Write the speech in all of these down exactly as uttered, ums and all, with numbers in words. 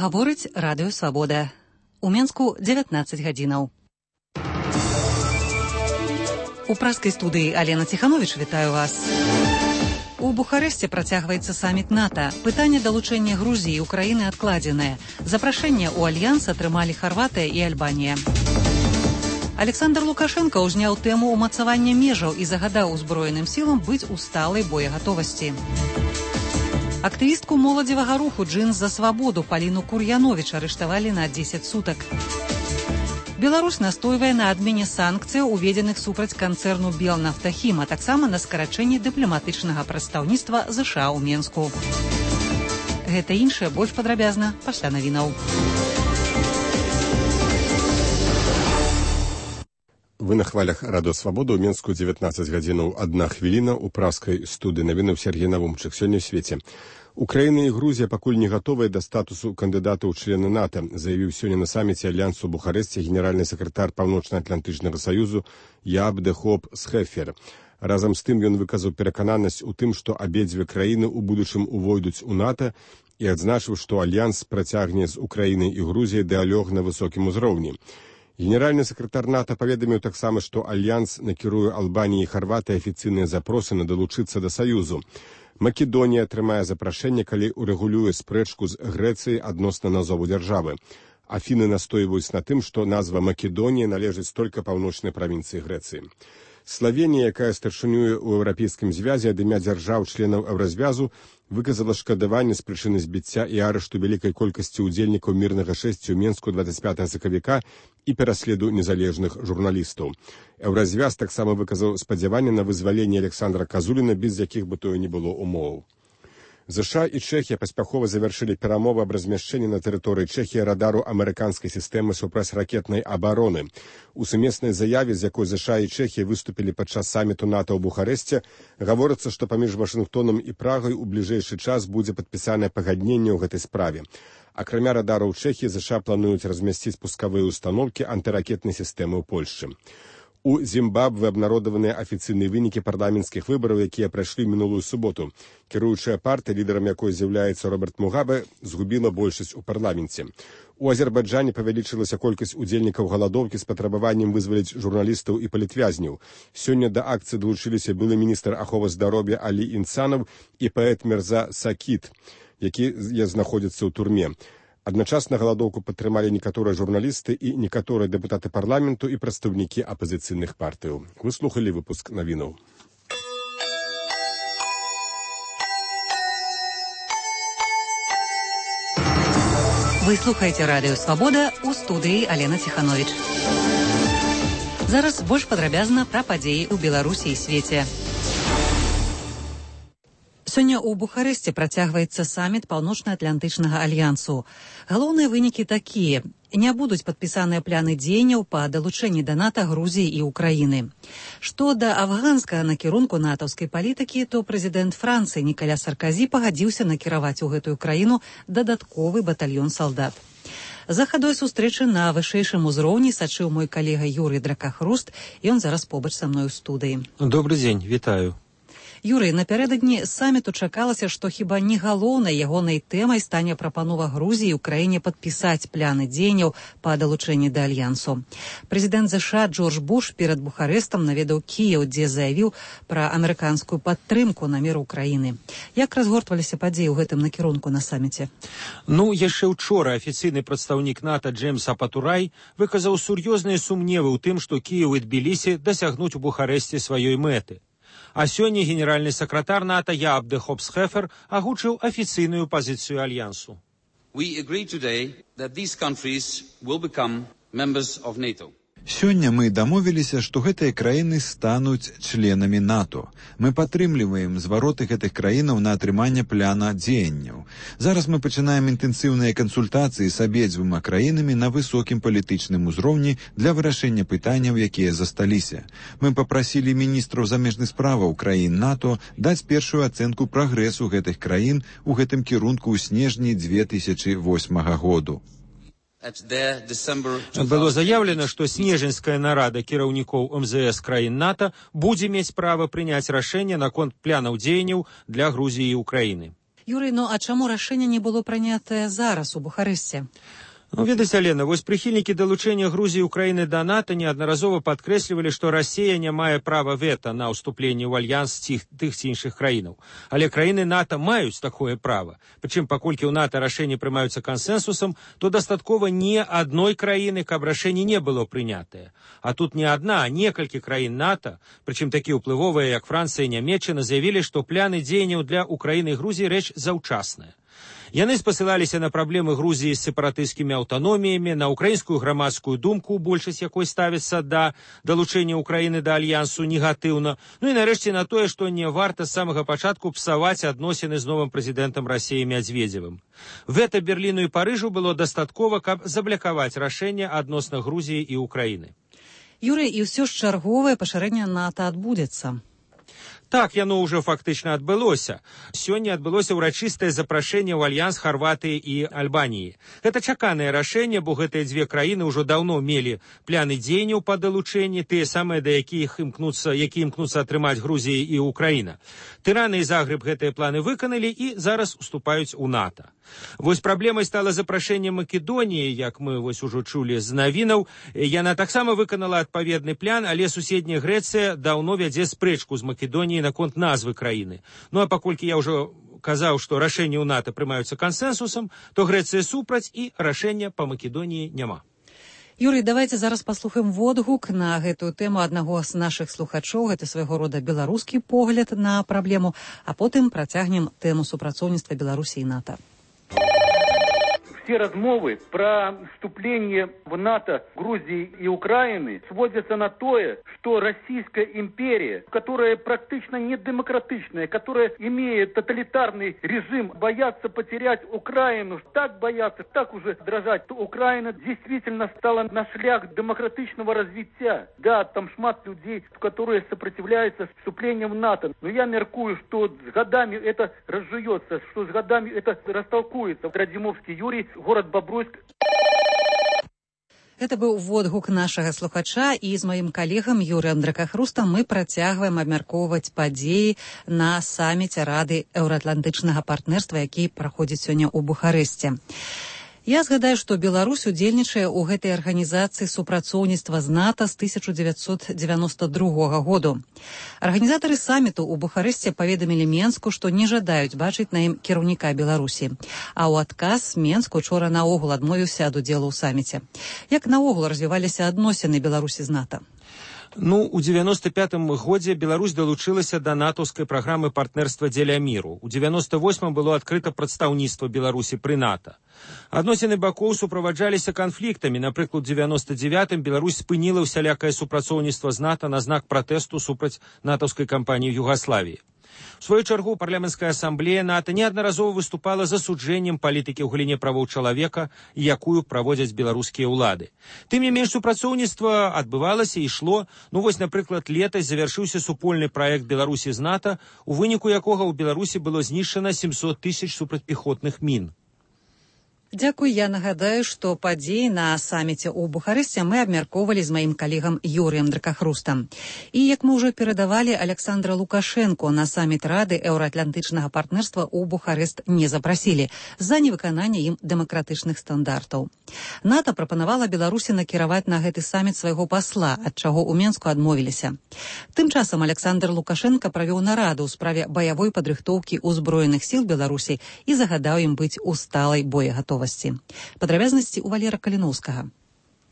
Гаворыць радыё Свабода. У Менску дзевятнаццаць гадзінаў. У праскай студыі Алена Ціхановіч вітаю вас. У Бухарэсце працягваецца саміт НАТО. Пытанне далучэння Грузіі і Украіны адкладзенае. Запрашэнне ў альянс атрымалі Харватыя і Альбанія. Александр Лукашенко ўзняў тэму ўмацавання межаў і загадаў узброеным сілам быць у сталай боегатовасці. Актывістку моладзевага руху «Джинс за свабоду» Паліну Кур'яновіч арыштавалі на дзесяць сутак. Беларусь настойвае на адмене санкцыяў, уведзеных супраць канцэрну «Белнафтахім», а таксама на скарачэнні дыпламатычнага прадстаўніцтва ЗША ў Менску. Гэта іншае больш падрабязна пасля навінаў. Вы на хвалях радыё Свабода. У Менску дзевятнаццаць гадзінаў адна хвіліна. У праскай студыі навінаў Сергей Навумчык. Сёння ў свеце. Украіна і Грузія пакуль не гатовыя да статусу кандыдата ў члены НАТО, заявіў сёння на саміце альянсу ў Бухарэсце генеральны сакратар Паўночна-Атлантычнага саюзу Ябдехоп Схефер. Разам з тым ён выказаў перакананасць у тым, што абедзве краіны ў будучым увойдуць у НАТО і адзначыў, што альянс працягне з Украінай і Грузіяй дыалог на высокім узроўні. Генеральны сакратар НАТО паведаміў таксама, што альянс накіруе Албаніі і Харватыі афіцыйныя запросы на далучыцца да саюзу. Македонія атрымае запрашэнне, калі урэгулюе спрэчку з Грэцыяй адносна назову дзяржавы. Афіны настойваюць на тым, што назва Македонія належыць толькі паўночнай правінцыі Грэцыі. Славенія, якая старшынюе ў еўрапейскім звязе ад імя дзяржаў-членаў еўразвязу, выказала шкадаванне з прычыны збіцця і арышту вялікай колькасці ўдзельнікаў мірнага шэсця ў Менску дваццаць пятага сакавіка і пераследу незалежных журналістаў. Еўразвяз таксама выказаў спадзяванне на вызваленне Александра Казуліна, без якіх бы тое не было умоў. ЗША і Чэхія паспяхова завяршылі перамовы аб размяшчэнні на тэрыторыі Чэхіі радару амерыканскай сістэмы супрацьракетнай абароны. У сумеснай заяве, з якой ЗША і Чэхія выступілі падчас саміту НАТО ў Бухарэсце, гаворыцца, што паміж Вашынгтонам і Прагай у бліжэйшы час будзе падпісанае пагадненне ў гэтай справе. Акрамя радараў Чэхіі, ЗША плануюць размясціць пускавыя установкі антыракетнай сістэмы ў Польшчы. У Зімбабве абнародаваныя афіцыйныя вынікі парламенцкіх выбараў, якія прайшлі мінулую суботу. Кіруючая партыя, лідарам якой з'яўляецца Роберт Мугабе, згубіла большасць у парламенце. У Азербайджане павялічылася колькасць удзельнікаў галадоўкі з патрабаваннем вызваліць журналістаў і палітвязняў. Сёння да акцыі далучыліся былы міністр аховы здароўя Алі Інсанаў і паэт Мірза Сакіт, які знаходзіцца ў турме. Адначасна галадоўку падтрымалі некаторыя журналісты і некаторыя дэпутаты парламенту і прадстаўнікі апазіцыйных партыяў. Вы слухалі выпуск навінаў. Вы слухаеце радыё Свабода, у студыі Алена Ціхановіч. Зараз больш падрабязна пра падзеі ў Беларусі і свеце. Сёння ў Бухарэсце працягваецца саміт Паўночна-Атлантычнага альянсу. Галоўныя вынікі такія. Не будуць падпісаныя пляны дзеянняў па далучэнні да НАТО Грузіі і Украіны. Што да афганскага накірунку натаўскай палітыкі, то прэзідэнт Францыі Нікаля Сарказі пагадзіўся накіраваць у гэтую краіну дадатковы батальён салдат. За хадой сустрэчы на вышэйшым узроўні сачыў мой калега Юрый Дракахруст, і ён зараз побач са мной у студыі. Добры дзень, вітаю. Юрый, напярэдадні саміту чакалася, што хіба не галоўнай ягонай тэмай стане прапанова Грузіі і Украіне падпісаць пляны дзеянняў па далучэнні да альянсу. Прэзідэнт ЗША Джордж Буш перад Бухарэстам наведаў Кіеў, дзе заявіў пра амерыканскую падтрымку намеру Украіны. Як разгортваліся падзеі ў гэтым накірунку на саміце? Ну, яшчэ ўчора афіцыйны прадстаўнік НАТО Джеймс Апатурай выказаў сур'ёзныя сумневы ў тым, што Кіеў і Тбілісі дасягнуць у Бухарэсце сваёй мэты. А сёння генеральны сакратар НАТО Ябдехоп Схефер агучыў афіцыйную пазіцыю альянсу. We agree today that these countries will become members of NATO. Сёння мы дамовіліся, што гэтыя краіны стануць членамі НАТО. Мы падтрымліваем звароты гэтых краінаў на атрыманне пляна дзеянняў. Зараз мы пачынаем інтэнсіўныя кансультацыі з абедзвюма краінамі на высокім палітычным узроўні для вырашэння пытанняў, якія засталіся. Мы папрасілі міністраў замежных справаў краін НАТО даць першую ацэнку прагрэсу гэтых краін у гэтым кірунку ў снежні дзве тысячы восьмага году. Было заявлена, што снежаньская нарада кіраўнікоў эм зэ эс краін НАТО будзе мець права прыняць рашэнне наконт планаў дзеянняў для Грузіі і Украіны. Юрый, ну а чаму рашэнне не было прынятае зараз у Бухарэсце? Ну, ведаць, Алена, вось прыхільнікі далучэння Грузіі і Украіны да НАТО неаднаразова падкрэслівалі, што Расія не мае права вета на ўступленне ў альянс тых, тых ці іншых краінаў. Але краіны НАТО маюць такое права. Прычым, паколькі ў НАТО рашэнні прымаюцца кансэнсусам, то дастаткова не адной краіны, каб рашэнне не было прынятае. А тут не адна, а некалькі краін НАТО, прычым такі ўплывовыя, як Францыя і Нямецчына, заявілі, што пляны дзеянняў для Украіны і Грузіі рэч заўчасная. Яны спасылаліся на праблемы Грузіі з сепаратысцкімі аўтаноміямі, на украінскую грамадскую думку, большасць якой ставіцца да далучэння Украіны да альянсу негатыўна, ну і нарэшце на тое, што не варта з самага пачатку псаваць адносіны з новым прэзідэнтам Расіі Мядзведзевым. Вета Берліну і Парыжу было дастаткова, каб заблакаваць рашэнне адносна Грузіі і Украіны. Юрый, і ўсё ж чарговае пашырэнне НАТО адбудзецца. Так, яно ўжо фактычна адбылося. Сёння адбылося ўрачыстае запрашэнне ў альянс Харватыі і Альбаніі. Гэта чаканае рашэнне, бо гэтыя дзве краіны ўжо даўно мелі пляны дзеянняў па далучэнні, тыя самыя, да якіх імкнуцца, які імкнуцца атрымаць Грузія і Украіна. Тырана і Загрэб гэтыя планы выканалі і зараз уступаюць у НАТО. Вось праблемай стала запрашэнне Македоніі, як мы вось ужо чулі з навінаў. Яна таксама выканала адпаведны план, але суседняя Грэцыя даўно вядзе спрэчку з Македоніяй наконт назвы краіны. Ну а паколькі я ўжо казаў, што рашэнні ў НАТО прымаюцца кансэнсусам, то Грэцыя супраць і рашэння па Македоніі няма. Юрый, давайте зараз паслухаем водгук на гэтую тэму аднаго з нашых слухачоў. Гэта свайго рода беларускі погляд на праблему, а потым працягнем тэму супрацоўніцтва Беларусі і НАТО. Все размовы про вступление в НАТО Грузии и Украины сводятся на то, что Российская империя, которая практически не демократичная, которая имеет тоталитарный режим, боятся потерять Украину, так боятся, так уже дрожать, то Украина действительно стала на шлях демократичного развития. Да, там шмат людей, которые сопротивляются вступлению в НАТО. Но я меркую, что с годами это разжуется, что с годами это растолкуется. Радзімовскі Юрий, город Бобруйск. Это быў водгук нашага слухача, і з маім калегам Юрыем Дракахрустам мы працягваем абмяркоўваць падзеі на саміце Рады еўраатлантычнага партнерства, які праходзіць сёння ў Бухарэсце. Я згадаю, што Беларусь удзельнічае ў гэтай арганізацыі супрацоўніцтва з НАТО з тысяча дзевяцьсот дзевяноста другога году. Арганізатары саміту ў Бухарэсце паведамілі Менску, што не жадаюць бачыць на ім кіраўніка Беларусі. А ў адказ Менск учора наогул адмовіўся ад удзелу ў саміце. Як наогул развіваліся адносіны Беларусі з НАТО? Ну, у девяносто пятым годзе Беларусь далучылася да натаўскай праграмы партнерства дзеля міру. У девяносто восьмым было адкрыта прадстаўніцтва Беларусі пры НАТО. Адносіны бакоў суправаджаліся канфліктамі. Напрыклад, у девяносто девятым Беларусь спыніла ўсялякае супрацоўніцтва з НАТО на знак пратэсту супраць натаўскай кампаніі ў Югаславіі. В свою чаргу парламенцкая асамблея НАТО неаднаразова выступала засуджэннем палітыкі ў галіне правоў чалавека, якую праводзяць беларускія ўлады. Тым не менш, супрацоўніцтва адбывалася і ішло. Ну вось, напрыклад, летась завяршыўся супольны праект Беларусі з НАТО, у выніку якога ў Беларусі было знішчана семьсот тысяч супрацьпехотных мін. Дзякуй, я нагадаю, што падзеі на саміце ў Бухарэсце мы абмяркоўвалі з маім калегам Юрыем Дракахрустам. І, як мы ўжо перадавалі, Александра Лукашенко на саміт Рады еўраатлантычнага партнерства ў Бухарэст не запрасілі з-за невыканання ім дэмакратычных стандартаў. НАТО прапанавала Беларусі накіраваць на гэты саміт свайго пасла, ад чаго ў Менску адмовіліся. Тым часам Александр Лукашенко правёў нараду ў справе баявой падрыхтоўкі ўзброеных сіл Беларусі і загадаў ім быць у сталай боегатовасці. Падрабязнасці у Валера Каліноўскага.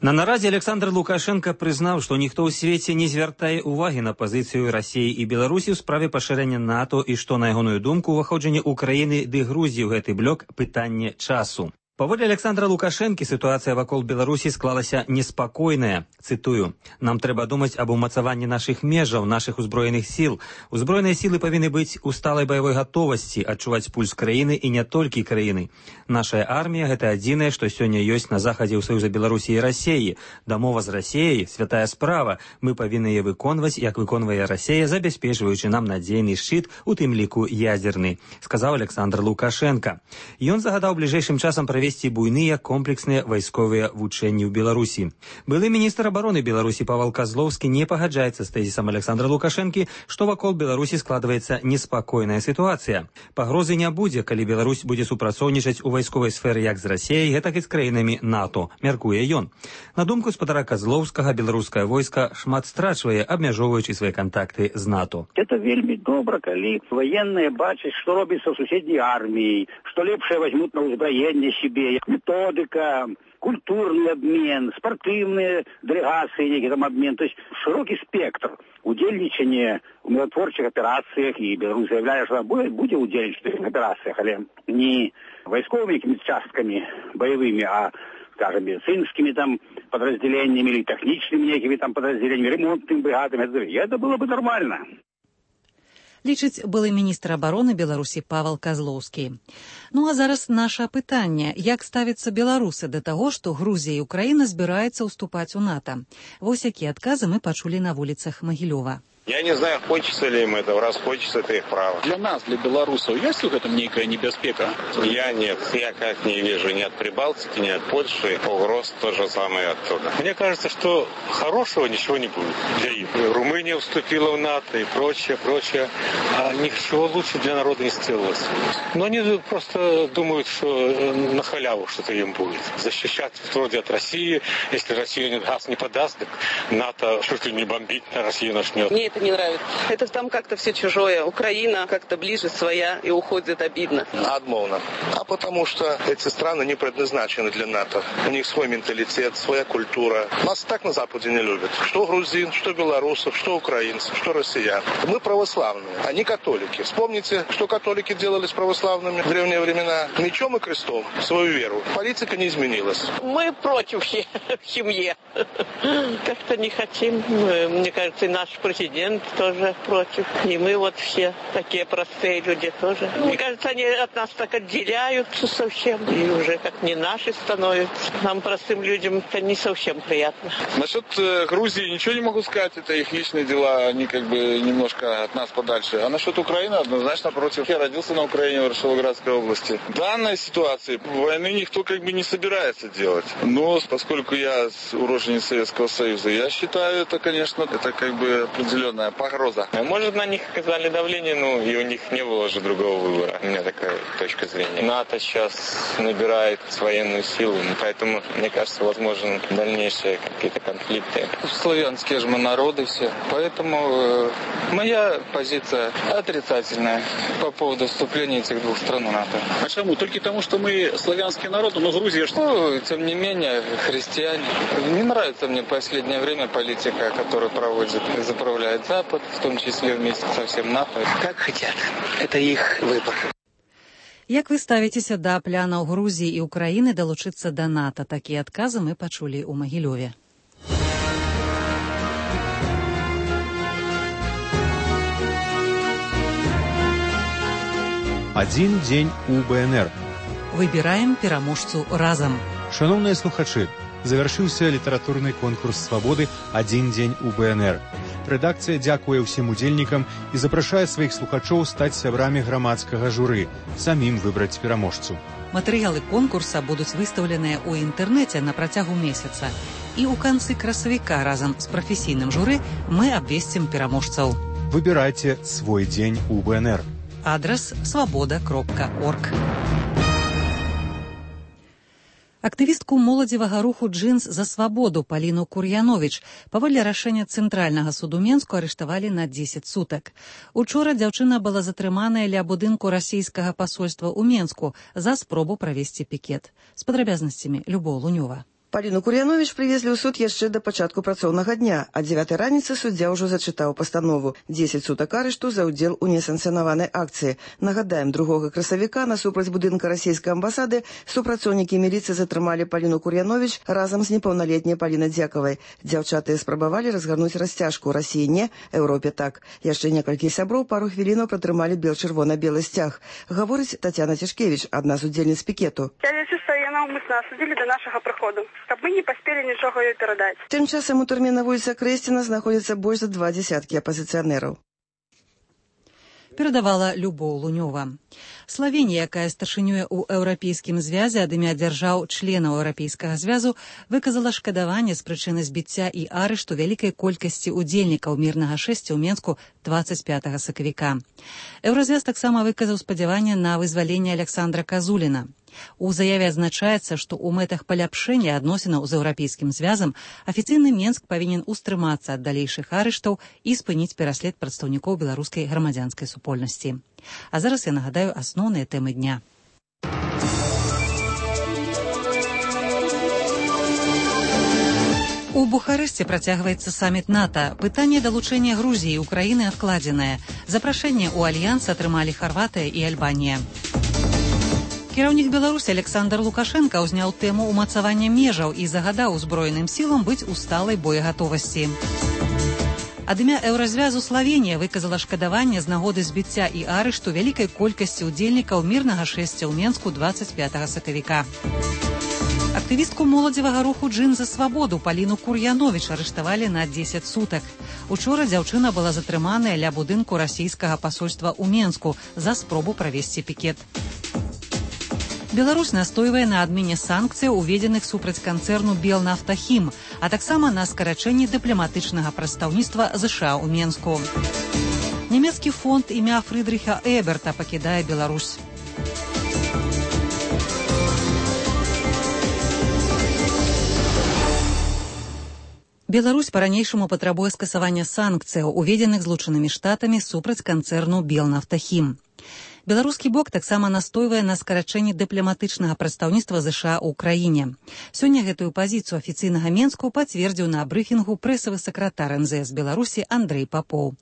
На нарадзе Александр Лукашенко прызнаў, што ніхто ў свеце не звяртае ўвагі на пазіцыю Расіі і Беларусі ў справе пашырэння НАТО і што, на ягоную думку, уваходжанне Украіны ды Грузіі ў гэты блок пытанне часу. Паводле Александра Лукашэнкі сітуацыя вакол Беларусі склалася неспакойная. Цытую: «Нам трэба думаць аб умацаванні нашых межаў, нашых узброеных сіл. Узброеныя сілы павінны быць у сталай баявой гатовасці, адчуваць пульс краіны і не толькі краіны. Нашая армія – гэта адзінае, што сёння ёсць на захадзе ў Саюза Беларусі і Расіі. Дамова з Расіяй – святая справа. Мы павінны яе выконваць, як выконвае Расія, забяспечваючы нам надзейны шчыт, у тым ліку ядзерны», сказаў Александр Лукашенко. Ён загадаў бліжэйшым часам правесці весці буйныя комплексныя вайсковыя вучэнні ў Беларусі. Былы міністр абароны Беларусі Павел Козловскі не пагаджаецца з тэзісам Александра Лукашэнкі, што вакол Беларусі складваецца неспакойная сітуацыя. Пагрозы не будзе, калі Беларусь будзе супрацоўнічаць у вайсковай сферы як з Расіяй, гэтак і з краінамі НАТО, мяркуе ён. На думку спадара Козловскага, беларускае войска шмат страчвае, абмяжоўваючы свае кантакты з НАТО. Это вельмі добра, калі военные бачаць, што робіцца ў суседняй арміі, што лепшае возьмут на ўзбраенне себе, методика, культурный обмен, спортивные делегации, некий там обмен, то есть широкий спектр удельничания в миротворчих операциях, и Беларусь заявляет, что она будет, будет удельничать в этих операциях, але не войсковыми частками боевыми, а, скажем, медицинскими там подразделениями или техническими некими там подразделениями, ремонтными бригадами. Это было бы нормально. Лічыць былы міністр абароны Беларусі Павел Козловскі. Ну а зараз наша пытанне. Як ставяцца беларусы да таго, што Грузія і Украіна збіраюцца ўступаць у НАТО? Вось якія адказы мы пачулі на вуліцах Магілёва. Я не знаю, хочется ли им этого, раз хочется, это их право. Для нас, для белорусов, есть в этом некая небеспека? Я нет, я как не вижу ни от Прибалтики, ни от Польши, угроз то же самое оттуда. Мне кажется, что хорошего ничего не будет для них. Румыния вступила в НАТО и прочее, прочее, а ничего лучше для народа не сделалось. Но они просто думают, что на халяву что-то им будет. Защищать вроде от России, если Россия газ не подаст, так НАТО что-то не бомбить, а Россия начнет. Мне это не нравится. Это там как-то все чужое. Украина как-то ближе своя и уходит обидно. Отмовно. А потому что эти страны не предназначены для НАТО. У них свой менталитет, своя культура. Нас так на Западе не любят. Что грузин, что белорусов, что украинцев, что россиян. Мы православные, они католики. Вспомните, что католики делали с православными в древние времена. Мечом и крестом свою веру. Политика не изменилась. Мы против в семье. Как-то не хотим. Мне кажется, и наш президент тоже против. И мы вот все такие простые люди тоже. Мне кажется, они от нас так отделяются совсем. И уже как не наши становятся. Нам, простым людям, это не совсем приятно. Насчет э, Грузии ничего не могу сказать. Это их личные дела. Они как бы немножко от нас подальше. А насчет Украины однозначно против. Я родился на Украине, в Рашиловградской области. В данной ситуации войны никто как бы не собирается делать. Но поскольку я уроженец Советского Союза, я считаю, это, конечно, это как бы определенная погроза. Может, на них оказали давление, ну и у них не было же другого выбора. У меня такая точка зрения. НАТО сейчас набирает военную силу, поэтому, мне кажется, возможны дальнейшие какие-то конфликты. Славянские же мы народы все, поэтому э, моя позиция отрицательная по поводу вступления этих двух стран в НАТО. А почему? Только потому, что мы славянский народ, но Грузия что? Ну, тем не менее, христиане. Не нравится мне в последнее время политика, которую проводит, заправляет Запад, в том числе вместе со всем НАТО. Как хотят. Это их выбор. Як вы ставіцеся да планаў Грузіі і Украіны далучыцца да НАТО? Такія адказы мы пачулі ў Магілёве. Адзін дзень у БНР. Выбіраем пераможцу разам. Шановныя слухачы, завяршыўся літаратурны конкурс свабоды «Адзін дзень у БНР». Рэдакцыя дзякуе ўсім удзельнікам і запрашае сваіх слухачоў стаць сябрамі грамадскага журы, самім выбраць пераможцу. Матэрыялы конкурса будуць выстаўленыя ў інтэрнэце на працягу месяца. І ў канцы красавіка разам з прафесійным журы мы абвесцім пераможцаў. Выбірайце свой дзень у БНР. Адрас свабода кропка орг. Актывістку моладзевага руху «Джинс за свабоду» Паліну Кур'яновіч паводле рашэння Цэнтральнага суду Менску арыштавалі на дзесяць сутак. Учора дзяўчына была затрыманая ля будынку расійскага пасольства ў Менску за спробу правесці пікет. З падрабязнасцямі Любоў Лунёва. Паліну Кур'яновіч прывезлі ў суд яшчэ да пачатку працоўнага дня. А дзевятай раніцы суддзя ўжо зачытаў пастанову. дзесяць сутак арышту за ўдзел у несанкцыянаванай акцыі. Нагадаем, другога красавіка насупраць будынка расійскай амбасады супрацоўнікі міліцыі затрымалі Паліну Кур'яновіч разам з непаўналетняй Палінай Дзякавай. Дзяўчаты спрабавалі разгарнуць расцяжку. Расіі не, Еўропе так. Яшчэ некалькі сяброў пару хвілінаў пратрымалі бел-чырвона-белы сцяг. Гаворыць Тацяна Цішкевіч, адна з удзельніц пікету. Я лічу, што яе наўмысна асудзілі да нашага прыходу, каб мы не паспелі нічога ёй перадаць. Тым часам у турме на вуліцы Крэсціна знаходзіцца больш за два дзясяткі апазіцыянераў. Перадавала Любоў Лунёва. Славенія, якая старшынюе ў еўрапейскім звязе ад імя дзяржаў членаў еўрапейскага звязу, выказала шкадаванне з прычыны збіцця і арышту вялікай колькасці удзельнікаў мірнага шэсця ў Менску дваццаць пятага сакавіка. Еўразвяз таксама выказаў спадзяванне на вызваленне Александра Казуліна. У заяве адзначаецца, што ў мэтах паляпшэння адносінаў з еўрапейскім звязам афіцыйны Менск павінен устрымацца ад далейшых арыштаў і спыніць пераслед прадстаўнікоў беларускай грамадзянскай супольнасці. А зараз я нагадаю асноўныя тэмы дня. У Бухарэсце працягваецца саміт НАТО. Пытанне далучэння Грузіі і Украіны адкладзенае. Запрашэнне ў альянс атрымалі Харватыя і Альбанія. Кіраўнік Беларусі Александр Лукашенка ўзняў тэму ўмацавання межаў і загадаў узброеным сілам быць у сталай боегатовасці. Ад імя еўразвязу Славенія выказала шкадаванне з нагоды збіцця і арышту вялікай колькасці удзельнікаў мірнага шэсця ў Менску дваццаць пятага сакавіка. Актывістку моладзевага руху «Джин за свабоду» Паліну Кур'яновіч арыштавалі на дзесяць сутак. Учора дзяўчына была затрыманая ля будынку расійскага пасольства ў Менску за спробу правесці пікет. Беларусь настойвае на адмене санкцыяў, уведзеных супраць канцэрну «Белнафтахім», а таксама на скарачэнні дыпламатычнага прадстаўніцтва ЗША ў Менску. Нямецкі фонд імя Фрыдрыха Эберта пакідае Беларусь. Беларусь па-ранейшаму патрабуе скасавання санкцыяў, уведзеных Злучанымі Штатамі супраць канцэрну «Белнафтахім». Беларускі бок таксама настойвае на скарачэнні дыпламатычнага прадстаўніцтва ЗША ў краіне. Сёння гэтую пазіцыю афіцыйнага Менску пацвердзіў на брыфінгу прэсавы сакратар эн зэ эс Беларусі Андрэй Папоў.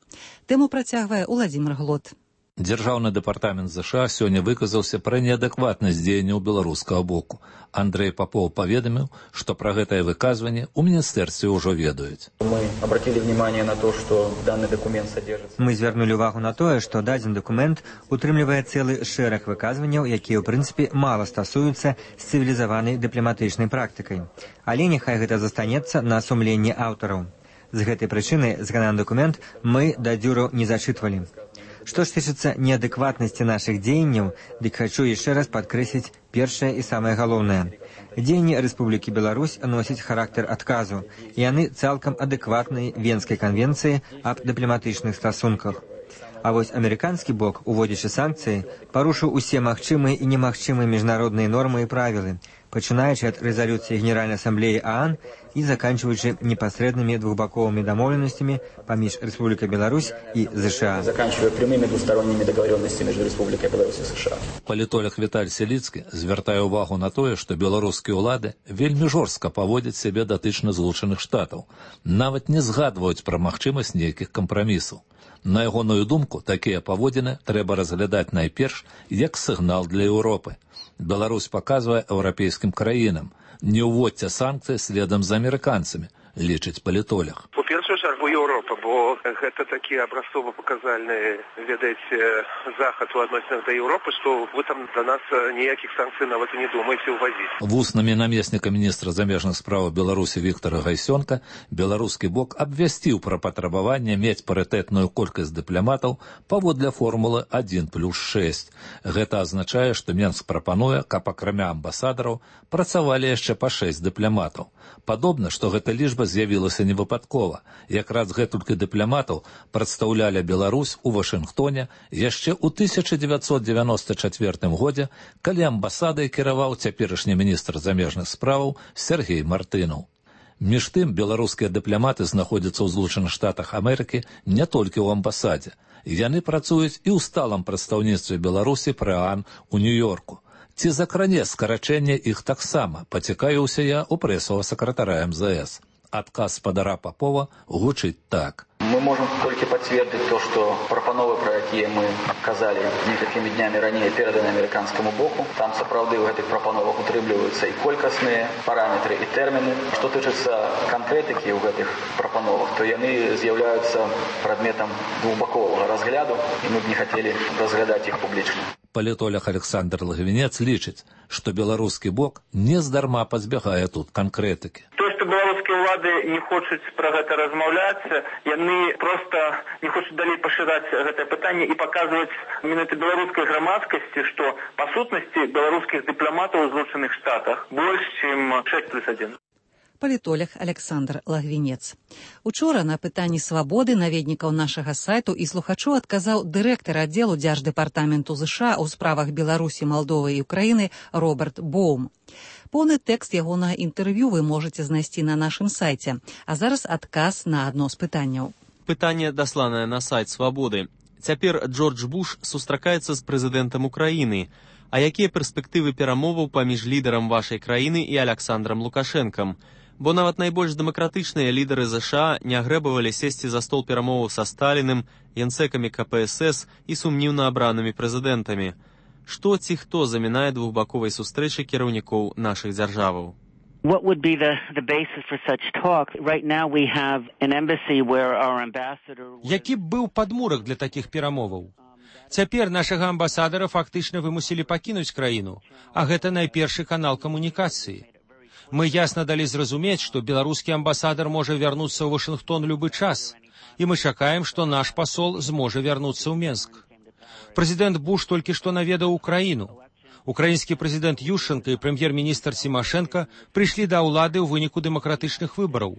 Тэму працягвае Уладзімир Глот. Дзяржаўны дэпартамент ЗША сёння выказаўся пра неадэкватнасць дзеянняў беларускага боку. Андрэй Папоў паведаміў, што пра гэтае выказванне ў міністэрстве ўжо ведаюць. Мы обратили внимание на то, что данный документ содержится. Мы звярнулі ўвагу на тое, што дадзены дакумент утрымлівае цэлы шэраг выказванняў, якія ў прынцыпе мала стасуюцца з цывілізаванай дыпламатычнай практыкай. Але няхай гэта застанецца на сумленні аўтараў. З гэтай прычыны згаданы дакумент мы да дзюру не зачытвалі. Што ж тычыцца неадэкватнасці нашых дзеянняў, дык хачу яшчэ раз падкрэсліць першае і самае галоўнае. Дзеянні Рэспублікі Беларусь носяць характар адказу, і яны цалкам адэкватнай Венскай канвенцыі аб дыпламатычных стасунках. А вось амерыканскі бок, уводзячы санкцыі, парушыў усе магчымыя і немагчымыя міжнародныя нормы і правілы, пачынаючы ад рэзалюцыі Генеральнай асамблеі ААН і заканчиваючы непасрэднымі двухбаковымі дамоўленасцямі паміж Рэспублікай Беларусь і ЗША. Заканчивая прямыми двусторонними договоренностями между Республикой Беларусь и США. Палітолог Віталь Селіцкі звяртае ўвагу на тое, што беларускія ўлады вельмі жорстка паводзяць сябе датычна Злучаных Штатаў, нават не згадваюць пра магчымасць нейкіх кампрамісаў. На ягоную думку, такія паводзіны трэба разглядаць найперш як сігнал для Еўропы. Беларусь паказвае еўрапейскім краінам: не ўводзьце санкцыі следам за амерыканцамі, лічыць палітолог. У першую чаргу Еўропа, бо гэта такі абразцова-паказальны, ведаеце, захад у адносінах да Еўропы, што вы там да нас ніякіх санкцый нават і не думаеце ўвазіць. Вуснамі намесніка міністра замежных справаў Беларусі Віктара Гайсёнка беларускі бок абвясціў пра патрабаванне мець парытэтную колькасць дыпламатаў паводле формулы адзін плюс шэсць. Гэта азначае, што Менск прапануе, каб акрамя амбасадараў працавалі яшчэ па шэсць дыпламатаў. Падобна, што гэта лічба з'явілася не выпадкова. Якраз гэтулькі дыпламатаў прадстаўлялі Беларусь у Вашынгтоне яшчэ ў тысяча дзевяцьсот дзевяноста чацвёртым годзе, калі амбасадай кіраваў цяперашні міністр замежных справаў Сергей Мартынаў. Між тым, беларускія дыпламаты знаходзяцца ў Злучаных Штатах Амерыкі не толькі ў амбасадзе. Яны працуюць і ў сталым прадстаўніцтве Беларусі пры ААН у Нью-Йорку. Ці закране скарачэнне іх таксама, пацікавіўся я у прэсавага сакратара эм зэ эс. Адказ спадара Папова гучыць так. Мы можем только подтвердить то, что пропановы, про якія мы казали некалькімі днямі ранее, переданы американскому боку. Там сапраўды в этих пропановах утрымліваюцца и колькасныя параметры, и термины. Что тычыцца конкретики в этих пропановах, то яны з'яўляюцца предметом двухбакового разгляду, и мы бы не хотели разглядать их публично. Палітолог Александр Лагвінец лічыць, што беларускі бок нездарма пазбягае тут канкрэтыкі. То, что белорусские ўлады не хочуць пра гэта размаўляць, яны проста не хочуць далей пашыраць гэтае пытанне і паказваць менавіта беларускай грамадскасці, што па сутнасці беларускіх дыпламатаў у Злучаных Штатах больш, чым шэсць плюс адзін. Палітолог Александр Лагвінец. Учора на пытанні свабоды наведнікаў нашага сайту і слухачоў адказаў дырэктар аддзелу Дзярждэпартаменту ЗША ў справах Беларусі, Малдовы і Украіны Роберт Боум. Поўны тэкст ягонага інтэрв'ю вы можаце знайсці на нашым сайце. А зараз адказ на адно з пытанняў. Пытанне дасланае на сайт свабоды. Цяпер Джордж Буш сустракаецца з прэзідэнтам Украіны. А якія перспектывы перамоваў паміж лідарам вашай краіны і Аляксандрам Лукашэнкам? Бо нават найбольш дэмакратычныя лідары ЗША не агрэбавалі сесці за стол перамоваў са Сталіным, генсэкамі ка пэ эс эс і сумніўна абранымі прэзідэнтамі. Што ці хто замінае двухбаковай сустрэчы кіраўнікоў нашых дзяржаваў? What would be the, the basis for such talk? Right now we have an embassy where our ambassador... Які б быў падмурак для такіх перамоваў? Цяпер нашага амбасадара фактычна вымусілі пакінуць краіну, а гэта найпершы канал камунікацыі. Мы ясна далі зразумець, што беларускі амбасадар можа вярнуцца ў Вашынгтон любы час, і мы чакаем, што наш пасол зможа вярнуцца ў Менск. Прэзідэнт Буш толькі што наведаў Украіну. Украінскі прэзідэнт Ющенка і прэм'ер-міністр Цімашэнка прыйшлі да ўлады ў выніку дэмакратычных выбараў.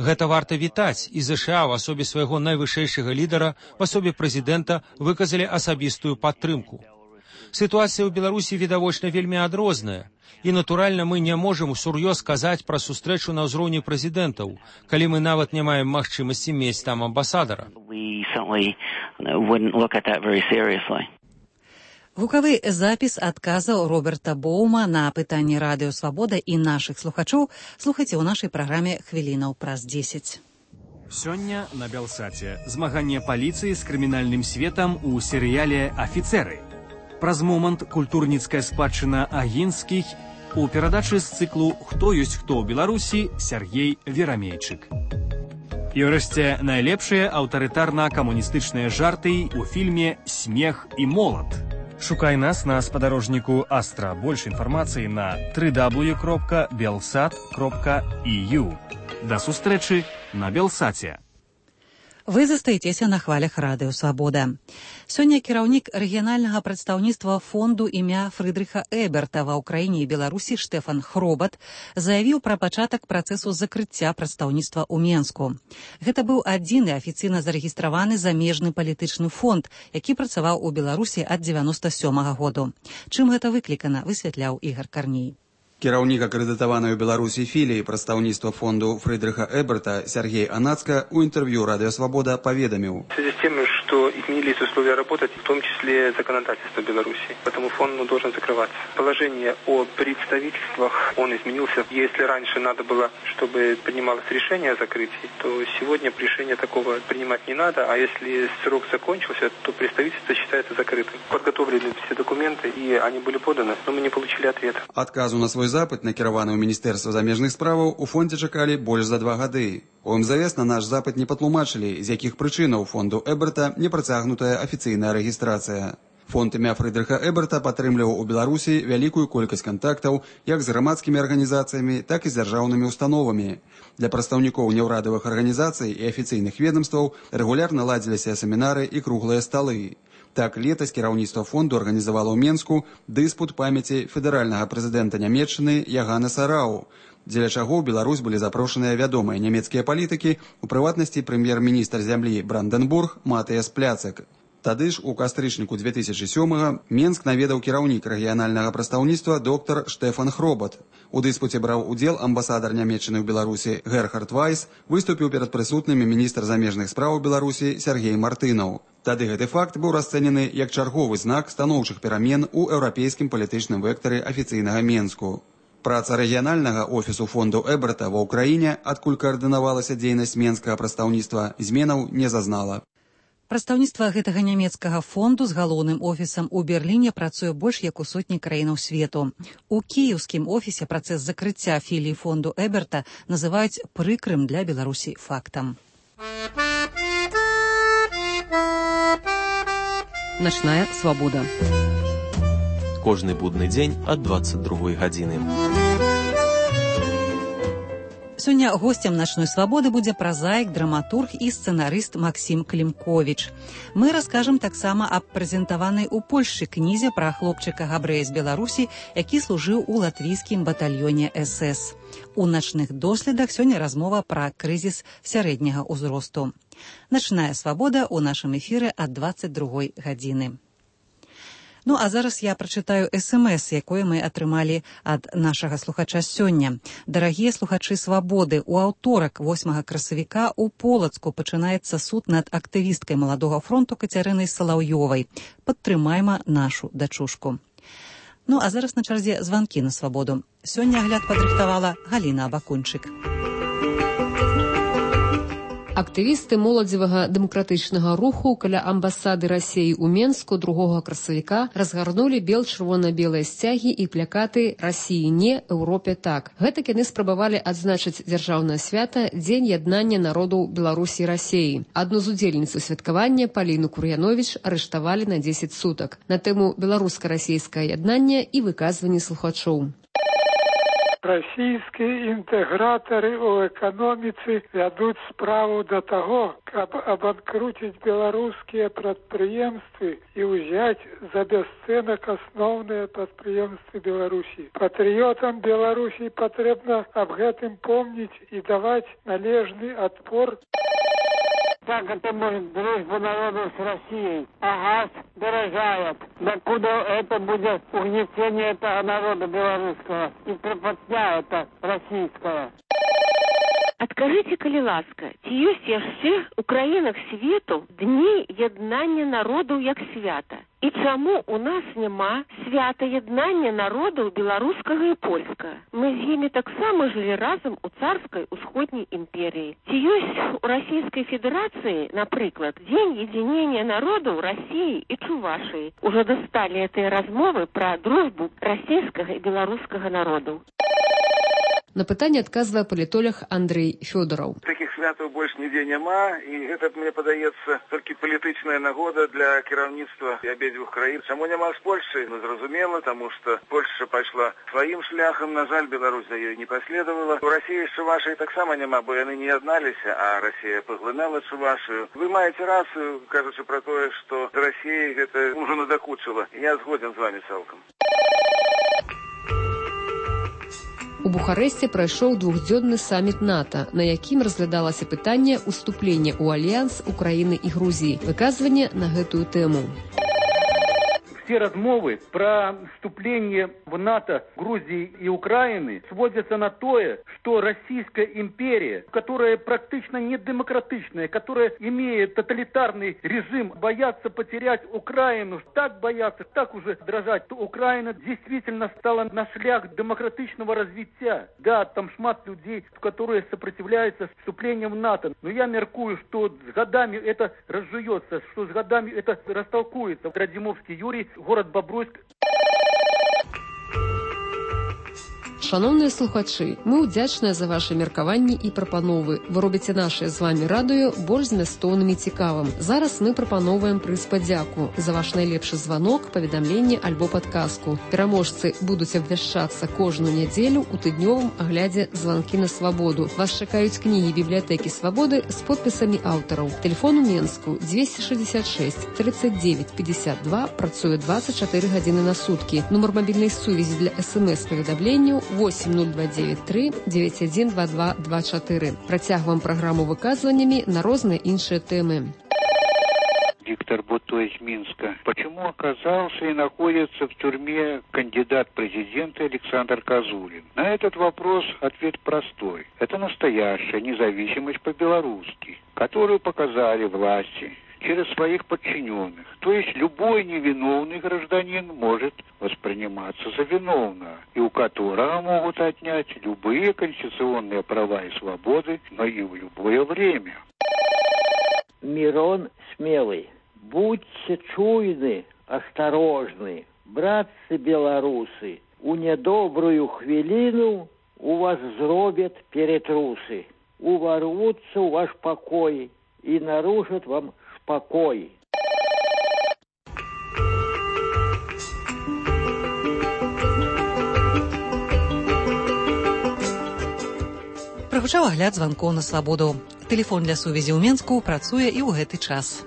Гэта варта вітаць, і ЗША ў асобе свайго найвышэйшага лідара, в асобе прэзідэнта, выказалі асабістую падтрымку. Сітуацыя ў Беларусі відавочна вельмі адрозная, і, натуральна, мы не можам усур'ёз казаць пра сустрэчу на ўзроўні прэзідэнтаў, калі мы нават не маем магчымасці мець там амбасадара. Гукавы запіс адказаў Роберта Боума на пытанні радыё «Свабода» і нашых слухачоў слухайце ў нашай праграме «Хвілінаў праз дзесяць». Сёння на Белсаце змаганне паліцыі з крымінальным светам у серыяле «Афіцеры». Праз момант культурніцкая спадчына агінскіх у перадачы з цыклу «Хто ёсць хто ў Беларусі» Сергей Верамейчык. І ўрэшце найлепшыя аўтарытарна-камуністычныя жарты ў фільме «Смех і молат». Шукай нас на спадарожніку Астра. Больш інфармацыі на дабл ю дабл ю дабл ю кропка белсат кропка і ю. Да сустрэчы на Белсаце. Вы застаецеся на хвалях радыё «Свабода». Сёння кіраўнік рэгіянальнага прадстаўніцтва фонду імя Фрыдрыха Эберта ва ўкраіне і Беларусі Штефан Хробат заявіў пра пачатак працэсу закрыцця прадстаўніцтва ў Менску. Гэта быў адзіны афіцыйна зарэгістраваны замежны палітычны фонд, які працаваў у Беларусі ад дзевяноста сёмага году. Чым гэта выклікана, высвятляў Ігар Карней. Кіраўнік акрэдытаванай у Беларусі філіі прадстаўніцтва фонду Фрыдрыха Эберта Сергей Анацка у интервью «Радио Свобода» поведомил. В связи с тем, что изменились условия работать, в том числе законодательство Беларуси, поэтому фонд ну, должен закрываться. Положение о представительствах, он изменился. Если раньше надо было, чтобы принималось решение о закрытии, то сегодня решение такого принимать не надо, а если срок закончился, то представительство считается закрытым. Подготовлены все документы, и они были поданы, но мы не получили ответа. Отказу на свой запыт, накіраваны ў Міністэрства замежных справаў, у фондзе чакалі больш за два гады. У эм зэ эс на наш запыт не патлумачылі, з якіх прычынаў фонду Эберта не працягнутая афіцыйная рэгістрацыя. Фонд імя Фрыдрыха Эберта падтрымліваў у Беларусі вялікую колькасць кантактаў як з грамадскімі арганізацыямі, так і з дзяржаўнымі установамі. Для прадстаўнікоў неўрадавых арганізацый і афіцыйных ведомстваў рэгулярна ладзіліся семінары і круглыя сталы. Так, летась кіраўніцтва фонду арганізавала ў Менску дыспут памяці федэральнага прэзідэнта Нямецчыны Яганеса Рау, дзеля чаго ў Беларусь былі запрошаныя вядомыя нямецкія палітыкі, у прыватнасці прэм'ер-міністр зямлі Бранденбург Матыяс Пляцек. Тады ж у кастрычніку две тысячи сёмага Менск наведаў кіраўнік рэгіянальнага прадстаўніцтва доктар Штефан Хробат. У дыспуце браў удзел амбасадар Нямецчыны ў Беларусі Герхард Вайс, выступіў перад прысутнымі міністр замежных спраў Беларусі Сергей Мартынаў. Тады гэты факт быў расцэнены як чарговы знак станоўчых перамен у еўрапейскім палітычным вектары афіцыйнага Менску. Праца рэгіянальнага офісу фонду Эберта ва ўкраіне, адкуль каардынавалася дзейнасць менскага прадстаўніцтва, зменаў не зазнала. Прадстаўніцтва гэтага нямецкага фонду з галоўным офісам у Берліне працуе больш як у сотні краінаў свету. У кіеўскім офісе працэс закрыцця філіі фонду Эберта называюць прыкрым для Беларусі фактам. Начная свабода. Кожны будны дзень ад дваццаць другой гадзіны. Сёння гостем начной свабоды будзе празаік, драматург і сцэнарыст Максім Клімковіч. Мы раскажам таксама аб прэзентаванай у Польшчы кнізе пра хлопчыка габрэя з Беларусі, які служыў у латвійскім батальёне эс эс. У начных доследах сёння размова пра крызіс сярэдняга ўзросту. Начная свабода ў нашым эфіры ад дваццаць другой гадзіны. Ну, а зараз я прачытаю эс эм эс, якое мы атрымалі ад нашага слухача сёння. Дарагія слухачы свабоды, у аўторак восьмага красавіка у Полацку пачынаецца суд над актывісткай Маладога фронту Кацярынай Салаўёвай. Падтрымайма нашу дачушку. Ну, а зараз на чарзе званкі на свабоду. Сёння агляд падрыхтавала Галіна Абакунчык. Актывісты моладзевага дэмакратычнага руху каля амбасады Расіі ў Менску другога красавіка разгарнулі бел-чырвона-белыя сцягі і плакаты «Расіі не, Еўропе так». Гэтак яны спрабавалі адзначыць дзяржаўнае свята Дзень яднання народаў Беларусі і Расіі. Адну з удзельніц святкавання, Паліну Кур'яновіч, арыштавалі на дзесяць сутак на тэму беларуска-расійскае яднанне і выказванні слухачоў. Расійскія інтэгратары ў эканоміцы вядуць справу да таго, каб абанкруціць беларускія прадпрыемствы і ўзяць за бясцэнак асноўныя прадпрыемствы Беларусі. Патрыётам Беларусі патрэбна аб гэтым помніць і даваць належны адпор. Как это может дружба народов с Россией? А газ дорожает. Докуда это будет угнетение этого народа белорусского и припотня это российская? Адкажыце, калі ласка, ці ёсць яшчэ ў краінах свету дні яднання народаў як свята? І чаму у нас няма свята яднання народаў беларускага і польскага? Мы з імі таксама жылі разам у царскай усходняй імперіі. Ці ёсць у Расійскай Федэрацыі, напрыклад, дзень едзінення народаў Расіі і Чувашыі? Ужо дасталі гэтыя размовы пра дружбу расійскага і беларускага народаў. На пытанне адказвае палітолог Андрей Фёдораў. Такіх святаў больш нідзе няма, і гэта, мне падаецца, толькі палітычная нагода для кіраўніцтва абедзвюх краін. Чаму няма з Польшай? Ну, зразумела, таму што Польшча пайшла сваім шляхам, на жаль, Беларусь за ёй не паследавала. У Расіі з Чувашай таксама няма, бо яны не ядналіся, а Расія паглынала Чувашыю. Вы маеце рацыю, кажучы пра тое, што з Расіяй гэта ўжо надакучыла. Я згоден з вамі цалкам. У Бухарэсце прайшоў двухдзённы саміт НАТО, на якім разглядалася пытанне ўступлення ў альянс Украіны і Грузіі. Выказванне на гэтую тэму. Все размовы про вступление в НАТО Грузии и Украины сводятся на то, что Российская империя, которая практически не демократичная, которая имеет тоталитарный режим, боятся потерять Украину, так боятся, так уже дрожать, то Украина действительно стала на шлях демократичного развития. Да, там шмат людей, которые сопротивляются вступлению в НАТО. Но я меркую, что с годами это разжуется, что с годами это растолкуется. Радзімовскі Юрий, город Бобруйск. Шановныя слухачы, мы ўдзячныя за ваши меркаванні і прапановы. Вы робіце нашае з вами радыё больш змястоўным і цікавым. Зараз мы прапаноўваем прыз падзяку за ваш найлепшы званок, паведамленне альбо падказку. Пераможцы будуць абвяшчацца кожную нядзелю ў тыднёвым аглядзе «Званкі на свабоду». Вас чакаюць кнігі бібліятэкі свабоды з подпісамі аўтараў. Тэлефон у Менску двести шестьдесят шесть тридцать девять пятьдесят два, працуе двадцать четыре гадзіны на суткі. Нумар мабільнай сувязі для эс эм эс-паведамленняў восемь ноль два девять три девять один два два два четыре. Працягваем праграму выказваннями на розныя іншыя тэмы. Виктор Буто из Минска. Почему оказался и находится в тюрьме кандидат в президенты Александр Козулин? На этот вопрос ответ простой. Это настоящая независимость по-белорусски, которую показали власти через своих подчиненных. То есть любой невиновный гражданин может восприниматься за виновного, и у которого могут отнять любые конституционные права и свободы, но и в любое время. Мирон Смелый. Будьте чуйны, осторожны, братцы-белорусы. У недобрую хвилину у вас зробят перетрусы. Уворвутся в ваш покой и нарушат вам покой. Прагучаў агляд званкоў на свабоду. Тэлефон для сувязі ў Менску працуе і ў гэты час.